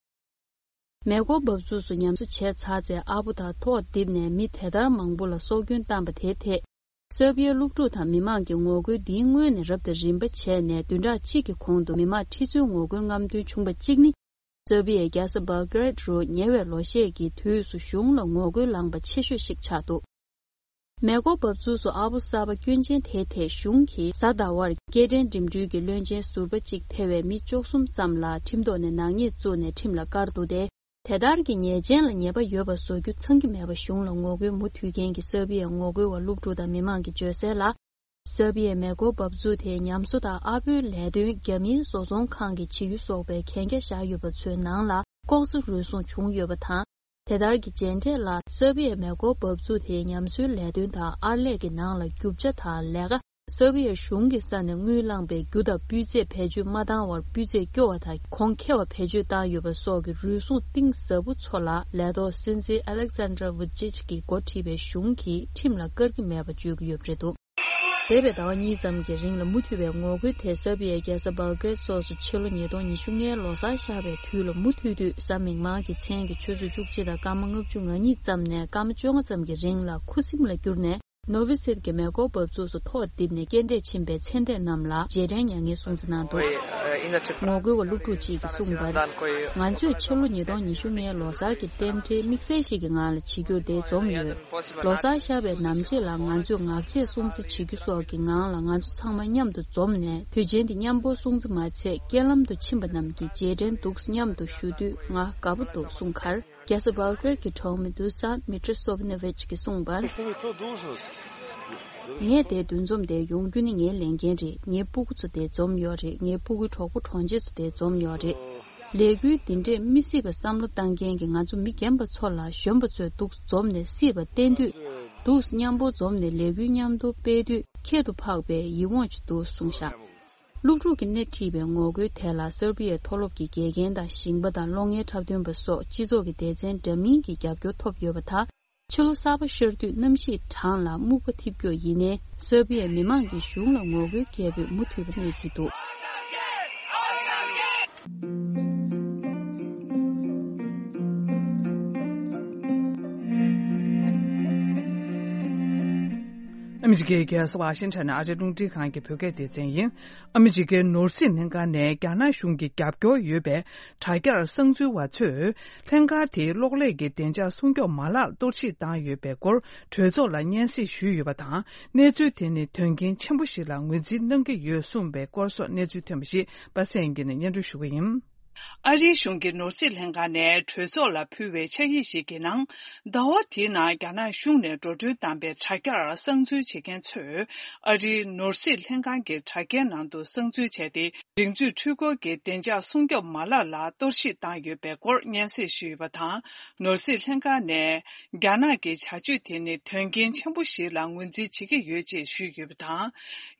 མེ་འཁོར་འབབ་ཚུགས་སུ་ཉམས་གསོ་བྱས་ཚར་རྗེས་ཨ་ཕོ་དང་ཐོག་རྡིབ་ནས་མི་དེ་ལྟར་མང་པོ་ལ་སྲོག་སྐྱོན་བཏང་པ་དེའི་ཐད། སར་བྷི་ཡའི་སློབ་ཕྲུག་དང་མི་མང་གི་ངོ་རྒོལ་འདིའི་སྔོན་ནས་རབ་དང་རིམ་པ་བྱས་ནས་བདུན་ཕྲག་གཅིག་གི་གོང་དུ་མི་མང་ཁྲི་ཚོའི་ངོ་རྒོལ་རྔམ་སྟོན་བྱུང་བ་གཅིག་ནི། སར་བྷི་ཡའི་རྒྱལ་ས་བྷལ་གྷ་རེད་རུ་ཉེ་བའི་ལོ་ཤས་ཀྱི་དུས་སུ་གཞུང་ལ་ངོ་རྒོལ་ལངས་པ་ཆེ་ཤོས་ཤིག་ཆགས་འདུག། མེ་འཁོར་འབབ་ཚུགས་སུ་ཨ་ཕོ་གསར་པ་སྐྱོན་ཅན་དེའི་ཐད་གཞུང་གིས་གཟའ་ཟླ་བར་སྐྱེལ་འདྲེན་འགྲིམ་འགྲུལ་གྱི་བློན་ཆེན་ཟུར་པ་གཅིག་ཐེ་བའི་མི་བཅུ་གསུམ་ཙམ་ལ་ཁྲིམས་ཐོག་ནས་ནག་ཉེས་བཙུགས་ནས་ཁྲིམས་ལ་བཀར་འདུག་སྟེ། དེ་ལྟར་གྱི་ཉེས་ཅན་ལ་ཉེས་པ་ཡོད་པ་བཟོ་རྒྱུ་ཚང་གི་མེད་པ་གཞུང་ལ་ངོ་རྒོལ་མུ་མཐུད་མཁན་གྱི་སར་བྷི་ཡའི་ངོ་རྒོལ་བ་སློབ་ཕྲུག་དང་མི་མང་གིས་བརྗོད་གསལ་ལ། སར་བྷི་ཡའི་མེ་འཁོར་འབབ་ཚུགས་དེ་ཉམས་གསོ་དང་ཨ་ཕོའི་ལས་དོན་རྒྱ་མིའི་བཟོ་ཚོང་ཁང་གིས་བྱེད་རྒྱུ་སོགས་པའི་གན་རྒྱ་བཞག་ཡོད་པ་ཚོའི་ནང་ལ་ལྐོག་ཟ་རུལ་སུངས་བྱུང་ཡོད་པ་དང་། དེ་ལྟར་གྱི་རྗེས་འབྲས་ལ་སར་བྷི་ཡའི་མེ་འཁོར་འབབ་ཚུགས་དེའི་ཉམས་གསོའི་ལས་དོན་དང་ཨར་ལས་ཀྱི་ནང་ལ་རྒྱུ་ཆ་དང་ལས་ཀ། སར་བྷི་ཡའི་གཞུང་གི་ས་ནས་དངུལ་བླངས་པའི་རྒྱུ་དང་སྤུས་ཚད་བེད་སྤྱོད་མ་བཏང་བར་སྤུས་ཚད་སྐྱོ་བ་དང་གོང་ཁེ་བ་བེད་སྤྱོད་བཏང་ཡོད་པ་སོགས་ཀྱི་རུལ་སུངས་གཏིང་ཟབ་པོ་ཚོ་ལ་ལས་ཐོག་སྲིད་འཛིན་ཨ་ལེག་ཛན་ཌར་ཝུ་ཅིཆ་གིས་འགོ་ཁྲིད་པའི་གཞུང་གིས་ཁྲིམས་ལ་བཀར་གྱི་མེད་པ་བརྗོད་ཀྱི་ཡོད་པ་རེད་འདུག། འདས་པའི་ཟླ་བ་གཉིས་ཙམ་གྱི་རིང་ལ་མུ་མཐུད་པའི་ངོ་རྒོལ་དེ་སར་བྷི་ཡའི་རྒྱལ་ས་བྷལ་གྷ་རེད་སོགས་སུ་ཕྱི་ལོ་ཉིས་སྟོང་ཉི་ཤུ་ལྔའི་ལོ་གསར་ཤར་བའི་དུས་ལ་མུ་མཐུད་དུས་གཟའ་མིག་དམར་གྱི་མཚན་གྱི་ཆུ་ཚོད་བཅུ་གཅིག་དང་སྐར་མ་ལྔ་བཅུ་ང་གཉིས་ཙམ་ནས་སྐར་མ་བཅོ་ལྔ་ཙམ་གྱི་རིང་ལ་ཁུ་སིམ་ལ་གྱུར་ནས། ནོ་བི་སིར་གྱི་མེ་འཁོར་འབབ་ཚུགས་སུ་ཐོག་རྡིབ་ནས་རྐྱེན་འདས་ཕྱིན་པའི་ཚེ་འདས་རྣམས་ལ་རྗེས་དྲན་མྱ་ངན་སྲུང་བརྩི་གནང་འདུག། ངོ་རྒོལ་བ་སློབ་ཕྲུག་ཅིག་གིས་གསུངས་པར། ང་ཚོས་ཕྱི་ལོ་ཉིས་སྟོང་ཉི་ཤུ་ལྔའི་ལོ་གསར་གྱི་རྟེན་འབྲེལ་དམིགས་བསལ་ཞིག་གི་ངང་ལ་བྱེད་རྒྱུར་འདིར་འཛོམས་ཡོད། ལོ་གསར་ཤར་བའི་ནམ་ཕྱེད་ལ་ང་ཚོས་ངག་བཅད་སྲུང་བརྩི་བྱེད་རྒྱུ་སོགས་ཀྱི་ངང་ལ་ང་ཚོ་ཚང་མ་མཉམ་དུ་འཛོམས་ནས་དུས་ཆེན་འདི་མཉམ་པོར་སྲུང་བརྩི་མ་ཚད་རྐྱེན་ལམ་དུ་ཕྱིན་པ་རྣམས་ཀྱི་རྗེས་དྲན་འདུག་མཉམ་དུ་ཞུ་དུས་ང་དགའ་པོ་འདུག་གསུངས་ཁར། རྒྱལ་ས་བྷལ་གྷི་རེད་ཀྱི་གྲོང་མི་དུ་སན་མི་ཏྲ་སོབ་ནེ་ཝིཆ་གིས་གསུངས་པར། ངས་དེ་འདུ་འཛོམས་དེ་ཡོང་རྒྱུ་ནི་ངའི་ལས་འགན་རེད། ངའི་སྤུ་གུ་ཚོ་དེ་འཛོམས་ཡོད་རེད། ངའི་སྤུ་གུའི་གྲོགས་པོ་གྲོགས་མཆེད་ཚོ་དེ་འཛོམས་ཡོད་རེད། ལས་འགུལ་འདི་འདྲས་མི་སྲིད་པ་བསམ་བློ་བཏང་མཁན་གྱི་ང་ཚོ་མི་རྒན་པ་ཚོ་ལ་གཞོན་པ་ཚོས་འདུག་འཛོམས་ནས་སྲིད་པ་བསྟན་དུས། འདུག་མཉམ་པོ་འཛོམས་ནས་ལས་འགུལ་མཉམ་དུ་སྤེལ་དུས་ཁྱད་དུ་འཕགས་པའི་ཡིད་འོང་ཅིག་འདུག་གསུངས་ཤག་སློབ་ཕྲུག་གིས་སྣེ་ཁྲིད་པའི་ངོ་རྒོལ་དེ་ལ་སར་བྷི་ཡའི་མཐོ་སློབ་ཀྱི་དགེ་རྒན་དང་ཞིང་པ་དང་གློག་བརྙན་འཁྲབ་སྟོན་པ་སོགས་སྤྱི་ཚོགས་ཀྱི་སྡེ་ཚན་འདྲ་མིན་གྱི་རྒྱབ་སྐྱོར་ཐོབ་ཡོད་པ་དང་། ཕྱི་ལོ་གསར་པ་ཤར་དུས་གནམ་གཤིས་གྲང་ལ་སྨུག་པ་འཐིབས་ཀྱོག་ཡིན་ནའི་སར་བྷི་ཡའི་མི་མང་གིས་གཞུང་ལ་ངོ་རྒོལ་སྐད་འབོད་མུ་མཐུད་པ་གནས་ཚུལ་འདུག་ཨ་མི་རི་ཀའི་རྒྱལ་ས་ཝ་ཤིང་ཊོན་ཨ་རིའི་རླུང་འཕྲིན་ཁང་གི་བོད་སྐད་སྡེ་ཚན་ཡིན། ཨ་མི་རི་ཀའི་ནོར་སྲིད་ལྷན་ཁང་ནས་རྒྱ་ནག་གཞུང་གི་རྒྱབ་སྐྱོར་ཡོད་པའི་དྲ་རྒྱར་གསང་འཛུལ་བ་ཚོས་ལྷན་ཁང་དེའི་གློག་ཀླད་ཀྱི་བདེ་འཇགས་སྲུང་སྐྱོབ་མ་ལག་གཏོར་བཤིག་བཏང་ཡོད་པའི་སྐོར་གྲོས་ཚོགས་ལ་སྙན་སེང་ཞུས་ཡོད་པ་དང་། གནས་ཚུལ་དེ་ནི་དོན་རྐྱེན་ཆེན་པོ་ཞིག་ལ་ངོས་འཛིན་གནང་གི་ཡོད་གསུངས་པའི་སྐོར་སོགས་གནས་ཚུལ་ཐོན་པ་ཞིག་པ་སངས་སྐྱིད་ནས་སྙན་སྒྲོན་ཞུ་གི་ཡིན། ཨ་རིའི་གཞུང་གི་ནོར་སྲིད་ལྷན་ཁང་ནས་གྲོས་ཚོགས་ལ་ཕུལ་བའི་ཕྱག་ཡིག་ཞིག་གི་ནང་། ཟླ་བ་འདིའི་ནང་རྒྱ་ནག་གཞུང་ནས་འགྲོ་གྲོན་བཏང་པའི་དྲ་རྒྱར་གསང་འཛུལ་བྱེད་མཁན་ཚོས་ཨ་རིའི་ནོར་སྲིད་ལྷན་ཁང་གི་དྲ་རྒྱའི་ནང་དུ་གསང་འཛུལ་བྱས་ཏེ། སྒྲིག་འཛུགས་འཕྲུལ་འཁོར་གྱི་བདེ་འཇགས་སྲུང་སྐྱོབ་མ་ལག་ལ་གཏོར་བཤིག་བཏང་ཡོད་པའི་སྐོར་སྙན་སེང་ཞུས་ཡོད་པ་དང་། ནོར་སྲིད་ལྷན་ཁང་ནས་རྒྱ་ནག་གི་བྱ་སྤྱོད་དེ་ནི་དོན་རྐྱེན་ཆེན་པོ་ཞིག་ལ་ངོས་འཛིན་བྱེད་ཀྱི་ཡོད་ཅེས་ཞུས་ཡོད་པ་དང་།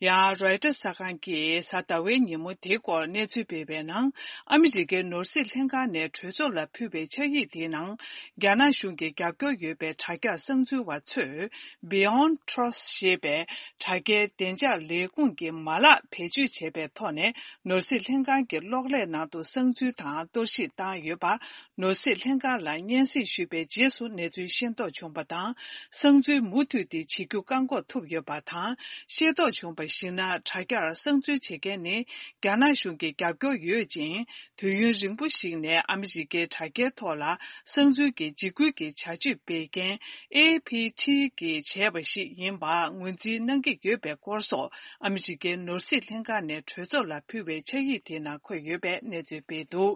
ཡང་རོའི་ཊར་གསར་ཁང་གིས་གཟའ་ཟླ་བའི་ཉིན་མོ་དེའི་སྐོར་གནས་ཚུལ་སྤེལ་བའི་ནང་། ཨ་མི་རི་ཀའི་ནོར་སྲིད་ལྷན་ཁང་ནས་གྲོས་ཚོགས་ལ་ཕུལ་བའི་ཕྱག་ཡིག་དེའི་ནང་། རྒྱ་ནག་གཞུང་གི་རྒྱབ་སྐྱོར་ཡོད་པའི་དྲ་རྒྱར་གསང་འཛུལ་བ་ཚོས། Beyond Trust ཞེས་པའི་དྲ་རྒྱའི་བདེ་འཇགས་ལས་ཁུངས་ཀྱི་མ་ལག་བེད་སྤྱོད་བྱས་པའི་ཐོག་ནས། ནོར་སྲིད་ལྷན་ཁང་གི་གློག་ཀླད་ནང་དུ་གསང་འཛུལ་དང་གཏོར་བཤིག་བཏང་ཡོད་པ། ནོར་སྲིད་ལྷན་ཁང་ལ་སྙན་སེང་ཞུས་པའི་རྗེས་སུ་གནས་ཚུལ་ཤེས་རྟོགས་བྱུང་བ་དང་། གསང་འཛུལ་མུ་མཐུད་དེ་བྱེད་རྒྱུ་བཀག་འགོག་ཐུབ་ཡོད་པ་དང་། ཤེས་རྟོགས་བྱུང་བར་གཞིགས་ན། དྲ་རྒྱར་གསང་འཛུལ་བྱེད་མཁན་ནི། རྒྱ་ནག་གཞུང་གི་རྒྱབ་སྐྱོར་ཡོད་ཅིང་། དུས་ཡུན་རིང་པོ་ཞིག་ནས་ཨ་མི་རི་ཀའི་དྲ་རྒྱའི་ཐོག་ལ་གསང་འཛུལ་གྱི་འཇིགས་སྐུལ་གྱི་བྱ་སྤྱོད་སྤེལ་མཁན། ཨེ་ཕི་ཊི་གིས་བྱས་པ་ཞིག་ཡིན་པ་ངོས་འཛིན་གནང་གི་ཡོད་པའི་སྐོར་སོགས། ཨ་མི་རི་ཀའི་ནོར་སྲིད་ལྷན་ཁང་ནས་གྲོས་ཚོགས་ལ་ཕུལ་བའི་ཕྱག་ཡིག་དེའི་ནང་འཁོད་ཡོད་པའི་གནས་ཚུལ་སྤེལ་འདུག་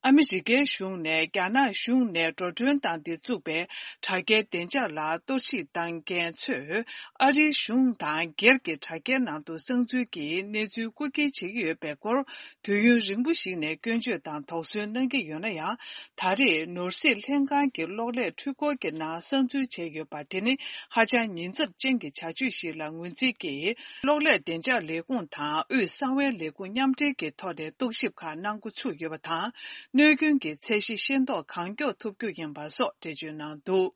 ཨ་མི་རི་ཀའི་གཞུང་ནས་རྒྱ་ནག་གཞུང་ནས་འགྲོ་གྲོན་བཏང་སྟེ་བཙུགས་པའི་དྲ་རྒྱའི་བདེ་འཇགས་ལ་གཏོར་བཤིག་བཏང་མཁན་ཚོས། ཨ་རིའི་གཞུང་དང་སྒེར་གྱི་དྲ་རྒྱའི་ནང་དུ་གསང་འཛུལ་གྱིས་གནས་ཚུལ་རྐུ་འཁྱེར་བྱེད་ཀྱི་ཡོད་པའི་སྐོར། དུས་ཡུན་རིང་པོ་ཞིག་ནས་སྐྱོན་བརྗོད་དང་དོགས་ཟོན་གནང་གི་ཡོད་ན་ཡང་། ད་རེས་ནོར་སྲིད་ལྷན་ཁང་གི་གློག་ཀླད་འཕྲུལ་འཁོར་གྱི་ནང་གསང་འཛུལ་བྱས་ཡོད་པ་དེ་ནི་ཧ་ཅང་ཉེན་ཚབས་ཅན་གྱི་བྱ་སྤྱོད་ཞིག་ལ་ངོས་འཛིན་གྱིས། གློག་ཀླད་བདེ་འཇགས་ལས་ཁུངས་དང་དབུས་གསང་བའི་ལས་ཁུངས་མཉམ་འབྲེལ་གྱི་ཐོག་ནས་རྟོག་ཞིབ་ཁག་གནང་འགོ་ཚུགས་ཡོད་པ་དང་། གནོད་སྐྱོན་གྱི་ཚད་གཞི་ཤེས་རྟོགས་གང་མགྱོགས་ཐུབ་རྒྱུ་ཡིན་པ་སོགས་འགྲེལ་བརྗོད་གནང་འདུག་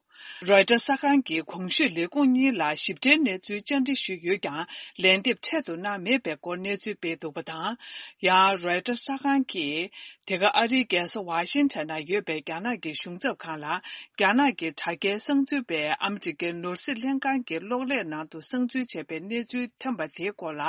རོའི་ཊར་གསར་ཁང་གིས་གོང་ཞུས་ལས་ཁུངས་གཉིས་ལ་ཞིབ་ཕྲའི་གནས་ཚུལ་བཅར་འདྲི་ཞུས་ཡོད་ཀྱང་། ལན་འདེབས་འཕྲལ་དུ་གནང་མེད་པའི་སྐོར་གནས་ཚུལ་སྤེལ་འདུག་པ་དང་། ཡང་རོའི་ཊར་གསར་ཁང་གིས། དེ་ག་ཨ་རིའི་རྒྱལ་ས་ཝ་ཤིང་ཊོན་ན་ཡོད་པའི་རྒྱ་ནག་གི་གཞུང་ཚབ་ཁང་ལ། རྒྱ་ནག་གི་དྲ་རྒྱའི་གསང་འཛུལ་པས་ཨ་མི་རི་ཀའི་ནོར་སྲིད་ལྷན་ཁང་གི་གློག་ཀླད་ནང་དུ་གསང་འཛུལ་བྱས་པའི་གནས་ཚུལ་ཐོན་པ་དེའི་སྐོར་ལ།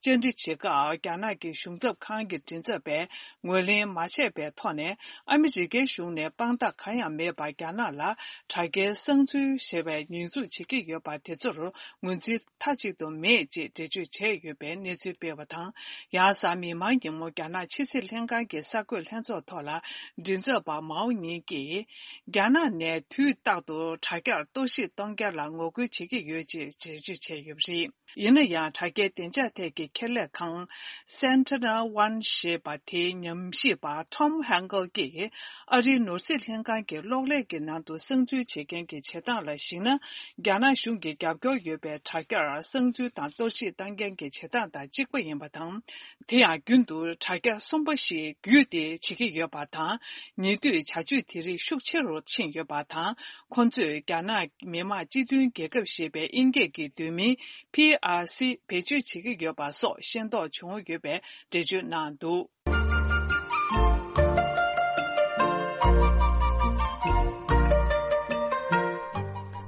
བཅར་འདྲི་བྱེད་སྐབས། རྒྱ་ནག་གི་གཞུང་ཚབ་ཁང་གི་མགྲིན་ཚབ་པས་ངོས་ལེན་མ་བྱས་པའི་ཐོག་ནས། ཨ་མི་རི་ཀའི་གཞུང་ནས་དཔང་རྟགས་གང་ཡང་མེད་པར་རྒྱ་ནག་ལ་དྲ་རྒྱའི་གསང་འཛུལ་ཞེས་པའི་ཉེས་འཛུགས་བྱེད་ཀྱི་ཡོད་པ་དེ་ཚོར་ངོས་འཛིན་མཐའ་གཅིག་ཏུ་མེད་ཅེས་འགྲེལ་བརྗོད་བྱས་ཡོད་པའི་གནས་ཚུལ་སྤེལ་བ་དང་། ཡང་གཟའ་མིག་དམར་ཉིན་མོ་རྒྱ་ནག་ཕྱི་སྲིད་ལྷན་ཁང་གི་གསར་འགོད་ལྷན་ཚོགས་ཐོག་ལ། མགྲིན་ཚབ་པ་མའོ་ཉིང་གིས། རྒྱ་ནག་ནས་དུས་རྟག་ཏུ་དྲ་རྒྱར་གཏོར་བཤིག་གཏོང་རྒྱུ་ལ་ངོ་རྒོལ་བྱེད་ཀྱི་ཡོད་ཅེས་འགྲེལ་བརྗོད་བྱས་ཡོད་པ་རེད། ཡིན་ན་ཡང་། དྲ་རྒྱའི་བདེ་འཇགས་ཐད་ཀྱི་ཁེ་ལས་ཁང་Sentinel One ཞེས་པ་དེའི་ཉམས་ཞིབ་པ་Tom Henkel གྱིས། ཨ་རིའི་ནོར་སྲིད་ལྷན་ཁང་གི་གློག་ཀླད་ཀྱི་ནང་དུ་གསང་འཛུལ་བྱེད་མཁན་གྱི་བྱེད་སྟངས་ལ་གཞིགས་ན། རྒྱ་ནག་གཞུང་གི་རྒྱབ་སྐྱོར་ཡོད་པའི་དྲ་རྒྱར་གསང་འཛུལ་དང་གཏོར་བཤིག་བཏང་མཁན་གྱི་བྱེད་སྟངས་དང་གཅིག་པ་ཡིན་པ་དང་། དེ་ཡང་རྒྱུན་དུ་དྲ་རྒྱ་གསུམ་པ་ཞིག་བརྒྱུད་དེ་བྱེད་ཀྱི་ཡོད་པ་དང་། ཉེ་དུས་བྱ་སྤྱོད་དེ་རིགས་ཤུགས་ཆེ་རུ་ཕྱིན་ཡོད་པ་དང་། ཁོ་ཚོས་རྒྱ་ནག་མི་དམངས་སྤྱི་མཐུན་རྒྱལ་ཁབ་ཞེས་པའི་དབྱིན་སྐད་ཀྱི་བསྡུས་མིང་P R C བེད་སྤྱོད་བྱེད་ཀྱི་ཡོད་པ་སོགས་ཤེས་རྟོགས་བྱུང་ཡོད་པའི་འགྲེལ་བརྗོད་གནང་འདུག་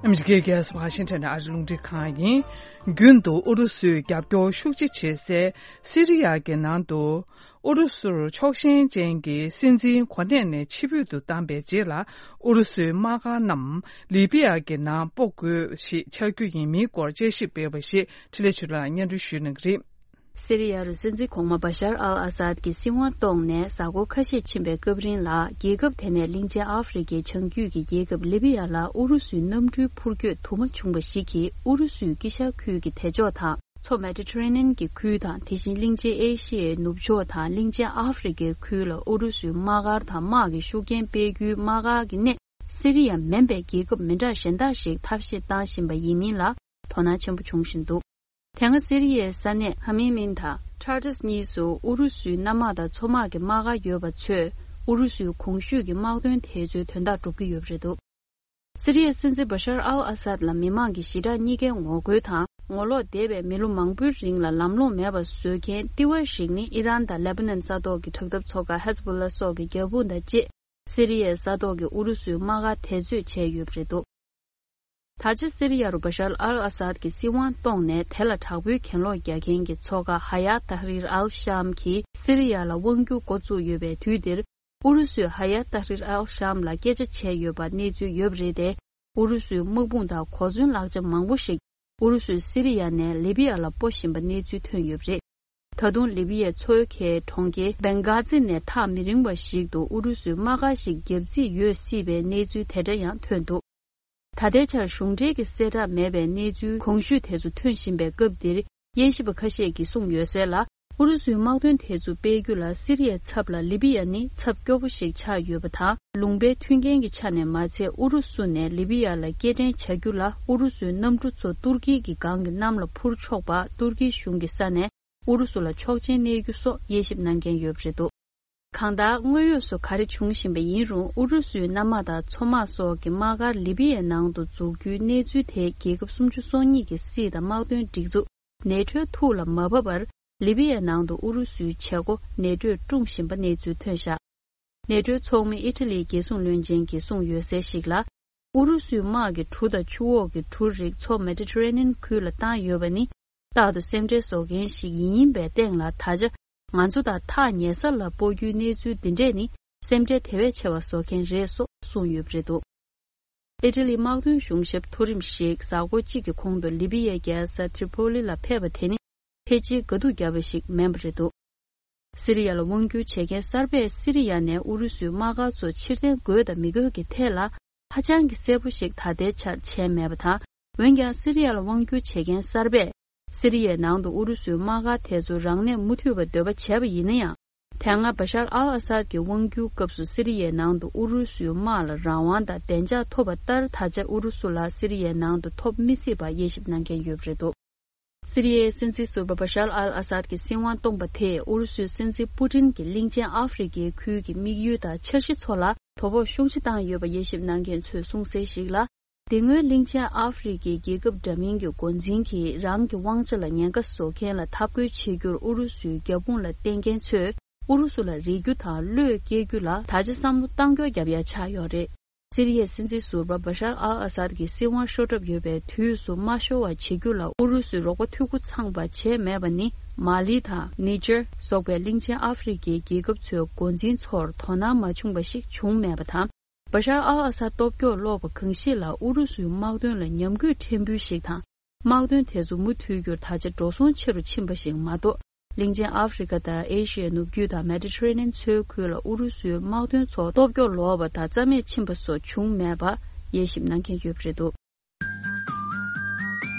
ཨ་མི་རི་ཀའི་རྒྱལ་ས་ཝ་ཤིང་ཊོན་ནས་ཨ་རི་རླུང་འཕྲིན་ཁང་ཡིན། རྒྱུན་དུ་ཨུ་རུ་སུས་རྒྱབ་སྐྱོར་ཤུགས་ཆེ་བྱེད་སའི་སི་རི་ཡ་གི་ནང་དུ། ཨུ་རུ་སུར་ཕྱོགས་ཞེན་ཅན་གྱི་སྲིད་འཛིན་གོ་གནས་ནས་ཕྱིར་འབུད་དུ་བཏང་པའི་རྗེས་ལ། ཨུ་རུ་སུའི་དམག་སྒར་རྣམས་ལི་པི་ཡ་གི་ནང་སྤོ་དགོས་ཞེས་འཆར་རྒྱུ་ཡིན་མིན་སྐོར་དཔྱད་ཞིབ་སྤེལ་བ་ཞིག་འཕྲིན་ལས་ཆོས་ལགས་སྙན་སྒྲོན་ཞུ་གནང་གི་རེད། སི་རི་ཡ་རུ་སྲིད་འཛིན་གོང་མ་བ་ཤར་ཨལ་ཨ་སཱད་ཀྱིས་སྲིད་དབང་བསྐྱངས་ནས་གཟའ་འཁོར་ཁ་ཤས་ཕྱིན་པའི་སྐབས་རིང་ལ། རྒྱལ་ཁབ་དེ་ནས་གླིང་ཆེན་ཨ་ཧྥེ་རི་ཁའི་བྱང་རྒྱུད་ཀྱི་རྒྱལ་ཁབ་ལི་བི་ཡ་ལ་ཨུ་རུ་སུའི་གནམ་གྲུའི་འཕུར་སྐྱོད་དུ་མ་བྱུང་བ་ཞིག་གིས། ཨུ་རུ་སུའི་དཀྱིལ་ཤར་ཁུལ་གྱི་དེད་ཕྱོགས་དང་། མཚོ་མེ་ཏི་ཏྲེ་ནན་གྱི་ཁུལ་དང་། དེ་བཞིན་གླིང་ཆེན་ཨེ་ཤི་ཡའི་ནུབ་ཕྱོགས་དང་གླིང་ཆེན་ཨ་ཧྥེ་རི་ཁའི་ཁུལ་ལ་ཨུ་རུ་སུའི་དམག་སྒར་དང་། དམག་གི་ཤུགས་རྐྱེན་སྤེལ་རྒྱུའི་དམག་སྒར་གྱི་གནས། སི་རི་ཡ་མིན་པའི་རྒྱལ་ཁབ་མི་འདྲ་གཞན་དག་ཞིག་ཐབས་ཤེས་བཏང་བཞིན་པ་ཡིན་མིན་ལ་དོ་སྣང་ཆེན་པོ་བྱུང་བཞིན་འདུག། དེ་སྔ་སི་རི་ཡའི་ས་གནས་ཧ་མི་མིན་དང་ཊར་ཊུས་གཉིས་སུ་ཨུ་རུ་སུའི་གནམ་དམག་དང་མཚོ་དམག་གི་དམག་སྒར་ཡོད་པ་ཚོས། ཨུ་རུ་སུའི་གོང་ཞུས་ཀྱི་དམག་དོན་དེ་ཚོའི་དོན་དག་སྒྲུབ་ཀྱི་ཡོད་པ་རེད་འདུག། སི་རི་ཡའི་སྲིད་འཛིན་བ་ཤར་ཨལ་ཨ་སཱད་ལ་མི་མང་གི་ཞི་དྲག་གཉིས་ཀའི་ངོ་རྒོལ་དང་། ངོ་ལོག་འདས་པའི་མི་ལོ་མང་པོའི་རིང་ལ་ལམ་ལྷོང་མེད་པ་བཟོ་མཁན་ལྟེ་བ་ཞིག་ནི་ཨི་རན་དང་ལེ་པ་ནན་ས་ཐོག་གི་དྲག་འཐབ་ཚོགས་ཁག་ཧེ་ཛ་བྷོ་ལ་སོགས་ཀྱི་རྒྱབ་དཔུང་དང་བཅས། སི་རི་ཡའི་ས་ཐོག་གི་ཨུ་རུ་སུའི་དམག་སྒར་དེ་ཚོས་བྱས་ཡོད་པ་རེད་འདུག། ད་ཆ་སི་རི་ཡ་རུ་བ་ཤར་ཨལ་ཨ་སཱད་ཀྱིས་སྲིད་དབང་བསྐྱངས་ནས། དེ་ལ་དྲག་པོའི་གྱེན་ལོག་རྒྱག་མཁན་གྱི་ཚོགས་ཁག་ཧ་ཡ་ཏཱ་ཧྲིར་ཨལ་ཤམ་གྱིས་སི་རི་ཡ་ལ་དབང་སྒྱུར་འགོ་བཙུགས་ཡོད་པའི་དུས་འདིར། ཨུ་རུ་སུས་ཧ་ཡ་ཏཱ་ཧྲིར་ཨལ་ཤམ་ལ་སྐད་ཆ་བྱས་ཡོད་པ་གནས་ཚུལ་ཡོད་པ་རེད་དེ། ཨུ་རུ་སུའི་དམག་དཔུང་དང་གོ་མཚོན་ལག་ཆ་མང་པོ་ཞིག་ཨུ་རུ་སུས་སི་རི་ཡ་ནས་ལི་བི་ཡ་ལ་སྤོ་བཞིན་པ་གནས་ཚུལ་ཐོན་ཡོད་པ་རེད། ད་དུང་ལི་བི་ཡའི་མཚོ་ཁའི་གྲོང་ཁྱེར་བེང་གྷ་ཛི་ནས་ཐག་མི་རིང་བ་ཞིག་ཏུ་ཨུ་རུ་སུའི་དམག་སྒར་ཞིག་བརྒྱབ་རྩིས་ཡོད་སྲིད་པའི་གནས་ཚུལ་དེ་འདྲ་ཡང་ཐོན་འདུག། ད་ལྟའི་ཆར་གཞུང་འབྲེལ་གྱི་གསལ་བསྒྲགས་མེད་པའི་གནས་ཚུལ་གོང་ཞུས་དེ་ཚོ་ཐོན་བཞིན་པའི་སྐབས་འདིར། དབྱེ་ཞིབ་པ་ཁ་ཤས་ཀྱིས་གསུངས་ཡོད་གསལ་ལ། ཨུ་རུ་སུའི་དམག་དོན་དེ་ཚོ་སྤེལ་རྒྱུ་ལ་སི་རི་ཡའི་ཚབ་ལ་ལི་བི་ཡ་ནི་ཚབ་སྐྱོ་པོ་ཞིག་ཆགས་ཡོད་པ་དང་། ལུང་པའི་མཐུན་རྐྱེན་གྱི་ཆ་ནས་མ་ཚད། ཨུ་རུ་སུ་ནས་ལི་བི་ཡ་ལ་སྐྱེལ་འདྲེན་བྱ་རྒྱུ་ལ། ཨུ་རུ་སུའི་གནམ་གྲུ་ཚོ་ཏུར་ཀི་གི་སྒང་གི་གནམ་ལ་འཕུར་ཆོག་པ། ཏུར་ཀི་གཞུང་གི་ས་ནས་ཨུ་རུ་སུ་ལ་ཆོག་མཆན་གནས་རྒྱུ་སོགས་དབྱེ་ཞིབ་གནང་མཁན་ཡོད་པ་རེད་འདུག། གང་ལྟར། དངོས་ཡོད་སུ་ག་རེ་བྱུང་བཞིན་པ་ཡིན་རུང་། ཨུ་རུ་སུའི་གནམ་དམག་དང་མཚོ་དམག་སོགས་ཀྱི་དམག་སྒར་ལི་བི་ཡའི་ནང་དུ་འཛུགས་རྒྱུའི་གནས་ཚུལ་དེ། རྒྱལ་ཁབ་སུམ་ཅུ་སོ་གཉིས་ཀྱི་སྲིད་དང་དམག་དོན་སྒྲིག་འཛུགས་ནེ་ཊོའི་ཐུགས་ལ་མ་བབས་པར། ལི་བི་ཡའི་ནང་དུ་ཨུ་རུ་སུའི་བྱེད་སྒོ་ནེ་ཊོས་སྐྲུན་བཞིན་པ་གནས་ཚུལ་ཐོན་བཞག། ནེ་ཊོའི་ཚོགས་མི་ཨི་ཊ་ལིའི་རྒྱལ་སྲུང་བློན་ཆེན་གྱིས་གསུངས་ཡོད་གསལ་ཞིག་ལ། ཨུ་རུ་སུའི་དམག་གི་གྲུ་དང་ཆུ་འོག་གི་གྲུ་རིགས་མཚོ་མེ་ཏི་ཏྲེ་ནན་ཁུལ་ལ་བཏང་ཡོད་པ་ནི། རྟག་ཏུ་སེམས་ཁྲལ་བཟོ་མཁན་ཞིག་ཡིན་པའི་སྟེང་ལ། ད་ཆ་ང་ཚོ་དང་ཐག་ཉེ་ས་ལ་སྤོ་རྒྱུའི་གནས་ཚུལ་འདི་འདྲས་ནི། སེམས་ཁྲལ་དེ་བས་ཆེ་བ་བཟོ་མཁན་རེད་སོགས་གསུངས་ཡོད་པ་རེད་འདུག། ཨི་ཊ་ལིའི་དམག་དོན་གཞུང་ཞབས་མཐོ་རིམ་ཞིག་གཟའ་འཁོར་གཅིག་གི་གོང་དུ་ལི་བི་ཡའི་རྒྱལ་ས་ཏྲི་པོ་ལི་ལ་ཕེབས་པ་དེ་ནི། ཕལ་ཆེར་དགའ་སྡུག་བརྒྱབ་པ་ཞིག་མིན་པ་རེད་འདུག། སི་རི་ཡ་ལ་དབང་བསྒྱུར་བྱེད་མཁན་གསར་པས་སི་རི་ཡ་ནས་ཨུ་རུ་སུའི་དམག་སྒར་ཚོ་ཕྱིར་འཐེན་དགོས་དང་མི་དགོས་ཀྱི་ཐད་ལ། ཧ་ཅང་གི་གསལ་པོ་ཞིག་ད་ལྟའི་ཆར་བྱས་མེད་པ་དང་། འོན་ཀྱང་། སི་རི་ཡ་ལ་དབང་བསྒྱུར་བྱེད་མཁན་གསར་པས། སི་རི་ཡའི་ནང་དུ་ཨུ་རུ་སུའི་དམག་སྒར་དེ་ཚོ་རང་གནས་མུ་མཐུད་པར་འདོད་པ་བྱས་པ་ཡིན་ན་ཡང་། དེ་སྔ་བ་ཤར་ཨལ་ཨ་སཱད་ཀྱི་དབང་སྒྱུར་སྐབས་སུ་སི་རི་ཡའི་ནང་དུ་ཨུ་རུ་སུའི་དམག་ལ་རང་དབང་དང་བདེ་འཇགས་ཐོབ་པ་ལྟར། ད་ཆ་ཨུ་རུ་སུ་ལ་སི་རི་ཡའི་ནང་དུ་ཐོབ་མི་སྲིད་པ་དབྱེ་ཞིབ་གནང་མཁན་ཡོད་པ་རེད་འདུག། སི་རི་ཡའི་སྲིད་འཛིན་ཟུར་པ་བ་ཤར་ཨལ་ཨ་སཱད་ཀྱི་སྲིད་དབང་སྟོངས་པ་དེས། ཨུ་རུ་སུའི་སྲིད་འཛིན་པུ་ཏིན་གྱིས་གླིང་ཆེན་ཨ་ཧྥེ་རི་ཁའི་ཁུལ་གྱི་དམིགས་ཡུལ་དང་འཆར་གཞི་ཚོ་ལ་དོ་ཕོག་ཤུགས་ཆེ་བཏང་ཡོད་པ་དབྱེ་ཞིབ་གནང་མཁན་ཚོས་གསུངས་གསལ་ཞིག་ལ། དེ་སྔོན་གླིང་ཆེན་ཨ་ཧྥེ་རི་ཁའི་རྒྱལ་ཁབ་འདྲ་མིན་གྱི་འགོ་འཛིན་གྱིས་རང་གི་དབང་ཆ་ལ་ཉེན་ཁ་བཟོ་མཁན་ལ་འཐབ་རྒོལ་བྱེད་རྒྱུར་ཨུ་རུ་སུའི་རྒྱབ་དཔུང་ལ་བརྟེན་མཁན་ཚོས། ཨུ་རུ་སུ་ལ་རེ་རྒྱུ་དང་བློས་བཀལ་རྒྱུ་ལ་ད་ཆ་བསམ་བློ་བཏང་སྐྱོར་རྒྱབ་ཡ་ཆགས་ཡོད་རེད། སི་རི་ཡའི་སྲིད་འཛིན་ཟུར་པ་བ་ཤར་ཨལ་ཨ་སཱད་ཀྱི་སྲིད་དབང་ཤོར་གྲབས་ཡོད་པའི་དུས་སུ་མ་ཤོར་བ་བྱེད་རྒྱུ་ལ་ཨུ་རུ་སུས་རོགས་པ་མཐུད་འགོ་ཚང་བ་བྱས་མེད་པ་ནི། མ་ལི་དང་ནི་ཇར་སོགས་པའི་གླིང་ཆེན་ཨ་ཧྥེ་རི་ཁའི་རྒྱལ་ཁབ་ཚོའི་འགོ་འཛིན་ཚོར་དོ་སྣང་མ་བྱུང་བ་ཞིག་བྱུང་མེད་པ་དང་། བ་ཤར་ཨལ་ཨ་སཱད་སྟོབས་སྐྱོར་ལོག་པ་གང་ཞིག་ལ་ཨུ་རུ་སུའི་དམག་དོན་ལ་ཉམས་རྒུད་ཕྲན་བུ་ཞིག་དང་། དམག་དོན་དེ་ཚོ་མུ་མཐུད་རྒྱུར་ད་ཆ་འགྲོ་སོང་ཆེ་རུ་ཕྱིན་པ་ཞིག་མ་གཏོགས། གླིང་ཆེན་ཨ་ཧྥེ་རི་ཁ་དང་ཨེ་ཤི་ཡའི་ནུབ་རྒྱུད་དང་མེ་ཏི་ཏྲེ་ནན་མཚོའི་ཁུལ་ལ་ཨུ་རུ་སུའི་དམག་དོན་ཚོ་སྟོབས་སྐྱོར་ལོག་པ་དང་རྩ་མེད་ཕྱིན་པ་སོགས་བྱུང་མེད་པ་དབྱེ་ཞིབ་གནང་མཁན་ཡོད་པ་རེད་འདུག།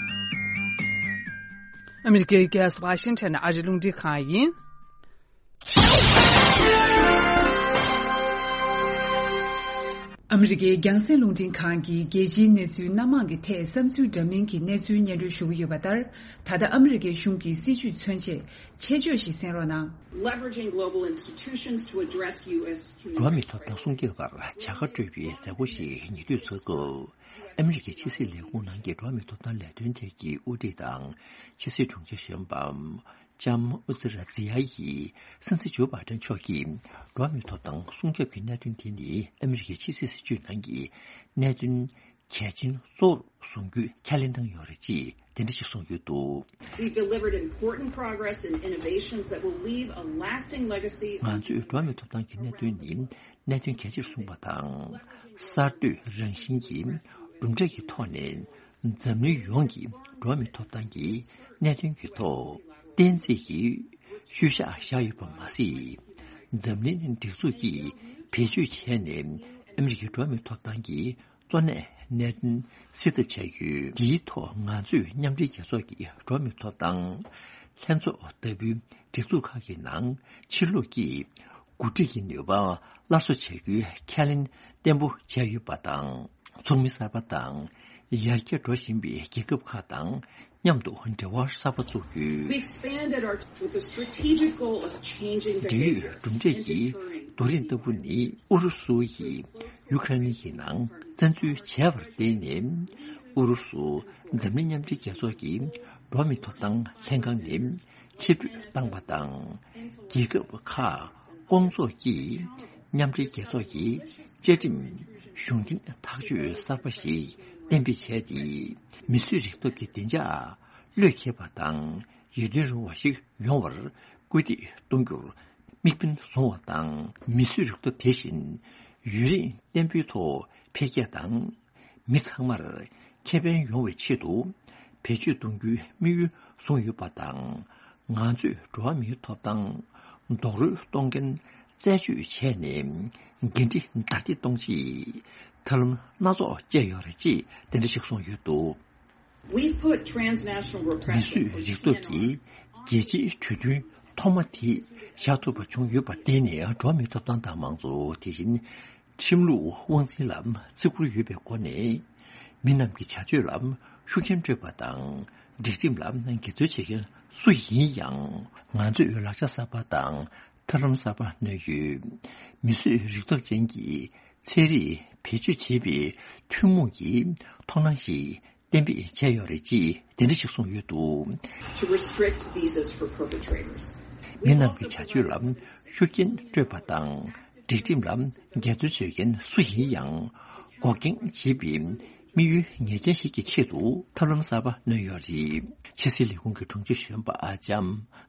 ཨ་མི་རི་ཀའི་རྒྱལ་ས་ཝ་ཤིང་ཊོན་ཨ་རི་རླུང་འཕྲིན་ཁང་ཡིན། ཨ་མི་རི་ཀའི་རྒྱང་སྲིང་རླུང་འཕྲིན་ཁང་གིས་རྒྱལ་སྤྱིའི་གནས་ཚུལ་སྣ་མང་གི་ཐད་བསམ་ཚུལ་འདྲ་མིན་གྱི་གནས་ཚུལ་སྙན་སྒྲོན་ཞུ་གི་ཡོད་པ་ལྟར། ད་ལྟ་ཨ་མི་རི་ཀའི་གཞུང་གི་སྲིད་བྱུས་མཚོན་ཆེད་ཆེད་བརྗོད་ཞིག་གསན་རོགས་གནང་། Leveraging global institutions to address U S human rights. འགྲོ་བ་མིའི་ཐོབ་ཐང་སྲུང་སྐྱོབ་པར་བྱ་དགའ་སྤྲོད་པའི་མཛད་སྒོ་ཞིག་ཉེ་དུས་ཚོགས་སྐབས། ཨ་མི་རི་ཀའི་ཕྱི་སྲིད་ལས་ཁུངས་ནང་གི་འགྲོ་བ་མིའི་ཐོབ་ཐང་ལས་དོན་ཐད་ཀྱི་དབུ་ཁྲིད་དང་ཕྱི་སྲིད་དྲུང་ཆེ་གཞོན་པ་ལྕམ་ཨུ་ཛི་ར་ཛི་ཡ་ཡིས་སྲིད་འཛིན་ཇོ་བྷའི་ཌེན་མཆོག་གིས་འགྲོ་བ་མིའི་ཐོབ་ཐང་སྲུང་སྐྱོབ་ཀྱི་གནད་དོན་དེ་ནི་ཨ་མི་རི་ཀའི་ཕྱི་སྲིད་སྲིད་བྱུས་ནང་གི་གནད་དོན་གལ་ཆེན་གཙོ་བོར་བཟུང་རྒྱུའི་ཁས་ལེན་གནང་ཡོད་རེད་ཅེས་དེ་འདྲ་ཞིག་གསུངས་ཡོད་འདུག། We delivered important progress and innovations that will leave a lasting legacy on ང་ཚོས་འགྲོ་བ་མིའི་ཐོབ་ཐང་གི་གནད་དོན་ནི་གནད་དོན་གལ་ཆེར་བཟུང་བ་དང་། གསར་གཏོད་རང་བཞིན་གྱི་གྲུབ་འབྲས་ཀྱི་ཐོག་ནས། འཛམ་གླིང་ཡོངས་ཀྱི་འགྲོ་བ་མིའི་ཐོབ་ཐང་གི་གནད་དོན་གྱི་ཐོག་ གཏན་ཚིགས་ཀྱི་ཤུལ་བཞག་བཞག་ཡོད་པ་མ་ཟད། འཛམ་གླིང་སྒྲིག་འཛུགས་ཀྱིས་བེད་སྤྱོད་བྱས་ནས་ཨ་མི་རི་ཀའི་འགྲོ་བ་མིའི་ཐོབ་ཐང་གི་གཙོ་གནད་གནད་དོན་སེལ་ཐབས་བྱས་ཡོད། འདིའི་ཐོག་ང་ཚོས་མཉམ་འབྲེལ་རྒྱལ་ཚོགས་ཀྱི་འགྲོ་བ་མིའི་ཐོབ་ཐང་ལྷན་ཚོགས་ལྟ་བུའི་སྒྲིག་འཛུགས་ཁག་གི་ནང་ཕྱིར་ལོག་གིས་འགོ་ཁྲིད་ཀྱི་ནུས་པ་སླར་གསོ་བྱ་རྒྱུའི་ཁས་ལེན་བརྟན་པོ་བྱས་ཡོད་པ་དང་། ཚོགས་མི་གསར་པ་དང་ཡར་རྒྱས་འགྲོ་བཞིན་པའི་རྒྱལ་ཁབ་ཁག་དང་མཉམ་དུ་འབྲེལ་བ་གསར་པ་བཙུགས་རྒྱུ། We expanded our with the strategic goal of changing འབྲེལ་ཡོད་གྲུབ་འབྲས་ཀྱི་རྡོ་རིང་ལྟ་བུ་ནི་ཨུ་རུ་སུ་ཡིས་ཡུ་ཁ་རེན་གྱི་ནང་བཙན་འཛུལ་བྱས་པར་བརྟེན་ནས། ཨུ་རུ་སུ་འཛམ་གླིང་མཉམ་འབྲེལ་རྒྱལ་ཚོགས་ཀྱི་འགྲོ་བ་མིའི་ཐོབ་ཐང་ལྷན་ཁང་ནས་ཕྱིར་འབུད་བཏང་པ་དང་། རྒྱལ་ཁབ་ཁག་སྐོང་ཚོགས་ཀྱིས་མཉམ་འབྲེལ་རྒྱལ་ཚོགས་ཀྱི་བཅའ་ཁྲིམས་གཞུང་འབྲེལ་ཐག་གཅོད་གསར་པ་ཞིག་གཏན་འབེབས་བྱས་ཏེ། མིས་བཟོས་རིག་སྟོབས་ཀྱི་བདེ་འཇགས་བློས་འཁེལ་བ་དང་ཡིད་རྟོན་རུང་བ་ཞིག་ཡོང་བར་སྐུལ་འདེད་གཏོང་རྒྱུར་དམིགས་འབེན་བཟུང་བ་དང་། མིས་བཟོས་རིག་སྟོབས་དེ་བཞིན་ཡུན་རིང་བརྟན་པོའི་ཐོག་འཕེལ་རྒྱས་དང་། མི་ཚང་མར་ཁེ་ཕན་ཡོང་བའི་ཆེད་དུ་བེད་སྤྱོད་གཏོང་རྒྱུའི་དམིགས་ཡུལ་བཟུང་ཡོད་པ་དང་། ང་ཚོས་འགྲོ་བ་མིའི་ཐོབ་ཐང་རྡོག་རོལ་གཏོང་མཁན་རྩད་གཅོད་བྱས་ནས་འགན་འཁྲི་བདའ་འདེད་གཏོང་ཆེད་ཐབས་ལམ་སྣ་ཚོགས་སྤྱད་ཡོད་རེད་ཅེས་དེ་འདྲ་ཞིག་གསུངས་ཡོད་འདུག། We've put transnational repression མིས་བཟོས་རིག་སྟོབས་ཀྱིས་རྒྱལ་སྤྱིའི་གྲོས་མཐུན་ཐོག་མ་དེ་བཞག་ཐུབ་པ་བྱུང་ཡོད་པར་བརྟེན་ནས། འགྲོ་བ་མིའི་ཐོབ་ཐང་དང་མང་གཙོ། དེ་བཞིན་ཁྲིམས་ལུགས་དབང་འཛིན་ལ་བརྩི་བཀུར་ཡོད་པའི་སྒོ་ནས། མི་རྣམས་ཀྱི་བྱ་སྤྱོད་ལ་ཤུགས་རྐྱེན་སྤྲོད་པ་དང་། སྒྲིག་ཁྲིམས་ལ་འགལ་འཛོལ་བྱེད་མཁན་སུ་ཡིན་ཡང་། ང་ཚོས་ལག་ཆ་གསར་པ་དང་ཐབས་ལམ་གསར་པ་སྣོན་ཡོད། མིས་བཟོས་རིག་སྟོབས་ཅན་གྱི་ཚན་རིག་བེད་སྤྱོད་བྱེད་པའི་ཐུན་མོང་གི་མཐོང་སྣང་ཞིག་གཏན་འབེབས་བྱས་ཡོད་རེད་ཅེས་དེ་འདྲ་ཞིག་གསུངས་ཡོད་འདུག། To restrict visas for perpetrators. མི་རྣམས་ཀྱི་བྱ་སྤྱོད་ལ་ཤུགས་རྐྱེན་སྤྲོད་པ་དང་། སྒྲིག་ཁྲིམས་ལ་འགལ་འཛོལ་བྱེད་མཁན་སུ་ཡིན་ཡང་། འགོག་རྐྱེན་བྱེད་པའི་དམིགས་ཡུལ་ངེས་ཅན་ཞིག་གི་ཆེད་དུ་ཐབས་ལམ་གསར་པ་སྣོན་ཡོད་རེད། ཕྱི་སྲིད་ལས་ཁུངས་ཀྱི་དྲུང་ཆེ་གཞོན་པ་ཨ་ལྕམ་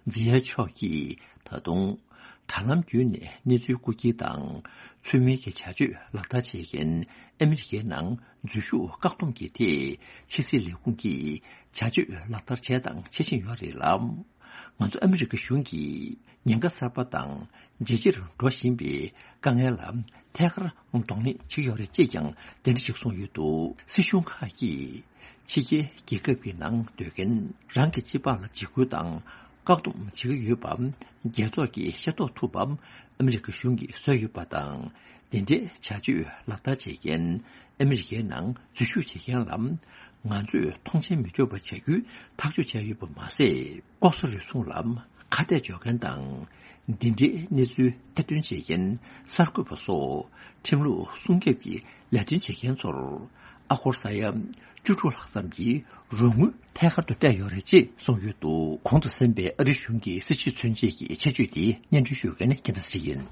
ཛི་ཡ་མཆོག་གིས་ད་དུང་། དྲ་ལམ་བརྒྱུད་ནས་གནས་ཚུལ་རྐུ་འཁྱེར་དང་། ཚུལ་མིན་གྱི་བྱ་སྤྱོད་ལག་བསྟར་བྱེད་མཁན་ཨ་མི་རི་ཀའི་ནང་འཛུལ་ཞུགས་བཀག་སྡོམ་གྱི་ཐད། ཕྱི་སྲིད་ལས་ཁུངས་ཀྱིས་བྱ་སྤྱོད་ལག་བསྟར་བྱས་དང་བྱེད་བཞིན་ཡོད་རེད་ལ། ང་ཚོ་ཨ་མི་རི་ཀ་གཞུང་གིས་ཉེན་ཁ་གསར་པ་དང་ཇེ་ཆེར་འགྲོ་བཞིན་པའི་དཀའ་ངལ་ལ་ཐད་ཀར་གདོང་ལེན་བྱེད་ཀྱི་ཡོད་རེད་ཅེས་ཀྱང་དེ་འདྲ་ཞིག་གསུངས་ཡོད་འདུག། སྲིད་གཞུང་ཁག་གིས་ཕྱི་རྒྱལ་རྒྱལ་ཁབ་ཀྱི་ནང་སྡོད་མཁན་རང་གི་སྤྱི་པར་ལ་འཇིགས་སྐུལ་དང་། བཀག་སྡོམ་བྱེད་ཀྱི་ཡོད་པ་རྒྱལ་ཚོགས་ཀྱིས་ཤེས་རྟོགས་ཐུབ་པ། ཨ་མི་རི་ཀ་གཞུང་གིས་བཟོས་ཡོད་པ་དང་། དེ་འདྲའི་བྱ་སྤྱོད་ལག་བསྟར་བྱེད་མཁན་ཨ་མི་རི་ཀའི་ནང་འཛུལ་ཞུགས་བྱེད་མཁན་ལ་ང་ཚོས་མཐོང་མཆན་མི་སྤྲོད་པ་བྱ་རྒྱུའི་ཐག་གཅོད་བྱས་ཡོད་པ་མ་ཟད། ལྐོག་ཟ་རུལ་སུངས་ལ་ཁ་གཏད་གཅོག་མཁན་དང་། འདི་འདྲའི་གནས་ཚུལ་ཐེར་འདོན་བྱེད་མཁན་གསར་འགོད་པ་སོགས་ཁྲིམས་ལུགས་སྲུང་སྐྱོབ་ཀྱི་ལས་དོན་བྱེད་མཁན་ཚོར་ཨ་སྒོར་ས་ཡ་བཅུ་དྲུག་ལྷག་ཙམ་གྱི་རོགས་དངུལ་ཐད་ཀར་དུ་སྤྲད་ཡོད་རེད་ཅེས་གསུངས་ཡོད་འདུག། གོང་དུ་གསན་པའི་ཨ་རིའི་གཞུང་གི་སྲིད་བྱུས་མཚོན་བྱེད་ཀྱི་ཆེད་བརྗོད་དེ་སྙན་སྒྲོན་ཞུ་མཁན་རྒྱལ་མཚན་ཡིན།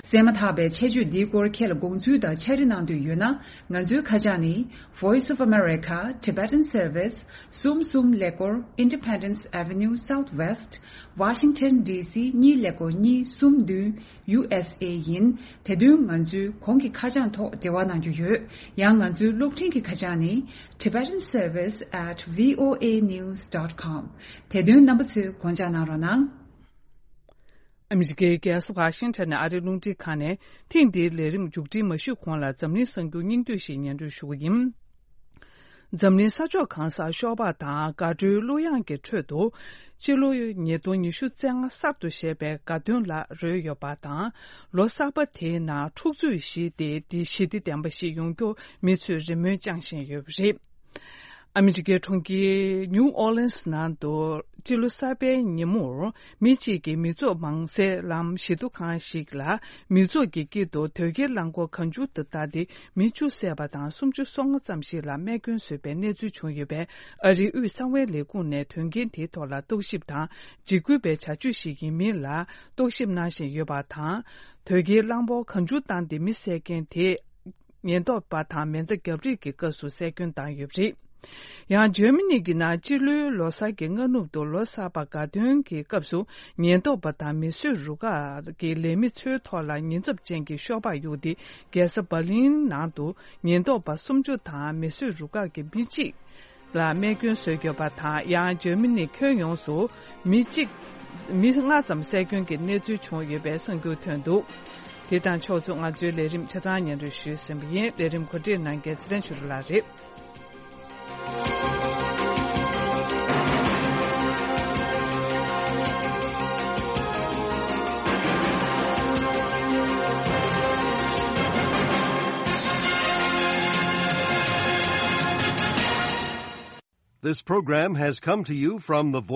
གསན་མ་ཐག་པའི་ཆེད་བརྗོད་འདིའི་སྐོར་ཁྱེད་ལ་དགོངས་ཚུལ་དང་ཕྱག་བྲིས་གནང་འདོད་ཡོད་ན། ང་ཚོའི་ཁ་བྱང་ནི། Voice of America, Tibetan Service, གསུམ་གསུམ་ཀླད་ཀོར། Independence Avenue Southwest, Washington D C གཉིས་ཀླད་ཀོར་གཉིས་གསུམ་བདུན། U S A ཡིན། དེ་དོན་ང་ཚོའི་གོང་གི་ཁ་བྱང་ཐོག་འབྲེལ་བ་གནང་རྒྱུ་ཡོད། ཡང་ང་ཚོའི་གློག་འཕྲིན་གྱི་ཁ་བྱང་ནི། Tibetan Service at V O A news dot com། དེ་དོན་རྣམ་པ་ཚོས་དགོངས་འཇགས་གནང་རོགས་གནང་། ཨ་མི་རི་ཀའི་རྒྱལ་ས་ཝ་ཤིང་ཊོན་ནས་ཨ་རིའི་རླུང་འཕྲིན་ཁང་ནས་ཐེངས་འདིའི་ལས་རིམ་མཇུག་སྒྲིལ་མ་ཞུས་གོང་ལ་འཛམ་གླིང་གསར་འགྱུར་སྙིང་བསྡུས་ཤིག་སྙན་སྒྲོན་ཞུ་གི་ཡིན། འཛམ་གླིང་ས་ཕྱོགས་གང་སར་ཤོག་སྦག་དང་དགའ་སྤྲོའི་གླུ་དབྱངས་ཀྱི་ཁྲོད་དུ། སྤྱི་ལོ་ཉིས་སྟོང་ཉི་ཤུ་རྩ་ལྔ་གསར་དུ་བཞད་པའི་དགའ་སྟོན་ལ་རོལ་ཡོད་པ་དང་། ལོ་གསར་པ་དེའི་ནང་འཁྲུག་རྩོད་ཞི་བདེ་དེ་ཞི་བདེ་ལྡན་པ་ཞིག་ཡོང་རྒྱུར་མི་ཚོས་རེ་སྨོན་བཅངས་བཞིན་ཡོད་པ་རེད། ཨ་མི་རི་ཀའི་གྲོང་ཁྱེར་ནིའུ་ཨོ་ལིན་སི་ནང་དུ་སྤྱི་ལོ་གསར་པའི་ཉིན་མོར་མི་གཅིག་གིས་མི་ཚོགས་མང་སའི་ལམ་བཞི་མདོ་ཁང་ཞིག་ལ་མི་ཚོགས་ཀྱི་དཀྱིལ་དུ་དོས་སྐྱེལ་རླངས་འཁོར་གང་བྱུང་དུ་བཏང་སྟེ་མི་བཅུ་བསད་པ་དང་སུམ་ཅུ་སོ་ལྔ་ཙམ་ཞིག་ལ་རྨས་སྐྱོན་བཟོས་པའི་གནས་ཚུལ་བྱུང་ཡོད་པས། ཨ་རིའི་དབུས་གསང་བའི་ལས་ཁུངས་ནས་དོན་རྐྱེན་དེའི་ཐོག་ལ་རྟོག་ཞིབ་དང་འཇིགས་སྐུལ་བའི་བྱ་སྤྱོད་ཞིག་ཡིན་མིན་ལ་རྟོག་ཞིབ་གནང་བཞིན་ཡོད་པ་དང་། དོས་སྐྱེལ་རླངས་འཁོར་གང་བྱུང་བཏང་སྟེ་མི་བསད་མཁན་དེ། ཉེན་རྟོག་པ་དང་མེ་མདའ་རྒྱབ་རེས་ཀྱི་སྐབས་སུ་བསད་སྐྱོན་བཏང་ཡོད་པ་རེད། ཡང་འཇར་མ་ནི་གི་ནང་སྤྱི་ལོའི་ལོ་གསར་གྱི་སྔ་ནུབ་ཏུ་ལོ་གསར་པ་དགའ་སྟོན་གྱི་སྐབས་སུ་ཉེན་རྟོག་པ་དང་མིས་བཟོས་རུ་ཁག་གི་ལས་མི་ཚོའི་ཐོག་ལ་ཉེན་ཚབས་ཅན་གྱི་ཤོག་སྦག་གཡུགས་ཏེ། རྒྱལ་ས་འབར་ལིན་ནང་དུ་ཉེན་རྟོག་པ་སུམ་ཅུ་དང་མིས་བཟོས་རུ་ཁག་གི་མི་གཅིག་ལ་རྨས་སྐྱོན་བཟོས་ཡོད་པ་དང་། ཡང་འཇར་མ་ནི་ཁྱོན་ཡོངས་སུ་མི་གཅིག་མི་ལྔ་ཙམ་བསད་སྐྱོན་གྱི་གནས་ཚུལ་བྱུང་ཡོད་པའི་གསར་འགྱུར་ཐོན་འདུག་དེ་དང་ཕྱོགས་མཚུངས་ང་ཚོའི་ལས་རིམ་ཆ་ཚང་སྙན་སྒྲོན་ཞུས་ཟིན་པ་ཡིན། ལས་རིམ་གོ་སྒྲིག་གནང་མཁན་ཚེ་བརྟན་ཆོས་སྒྲོན་ལགས་རེད། This program has come to you from the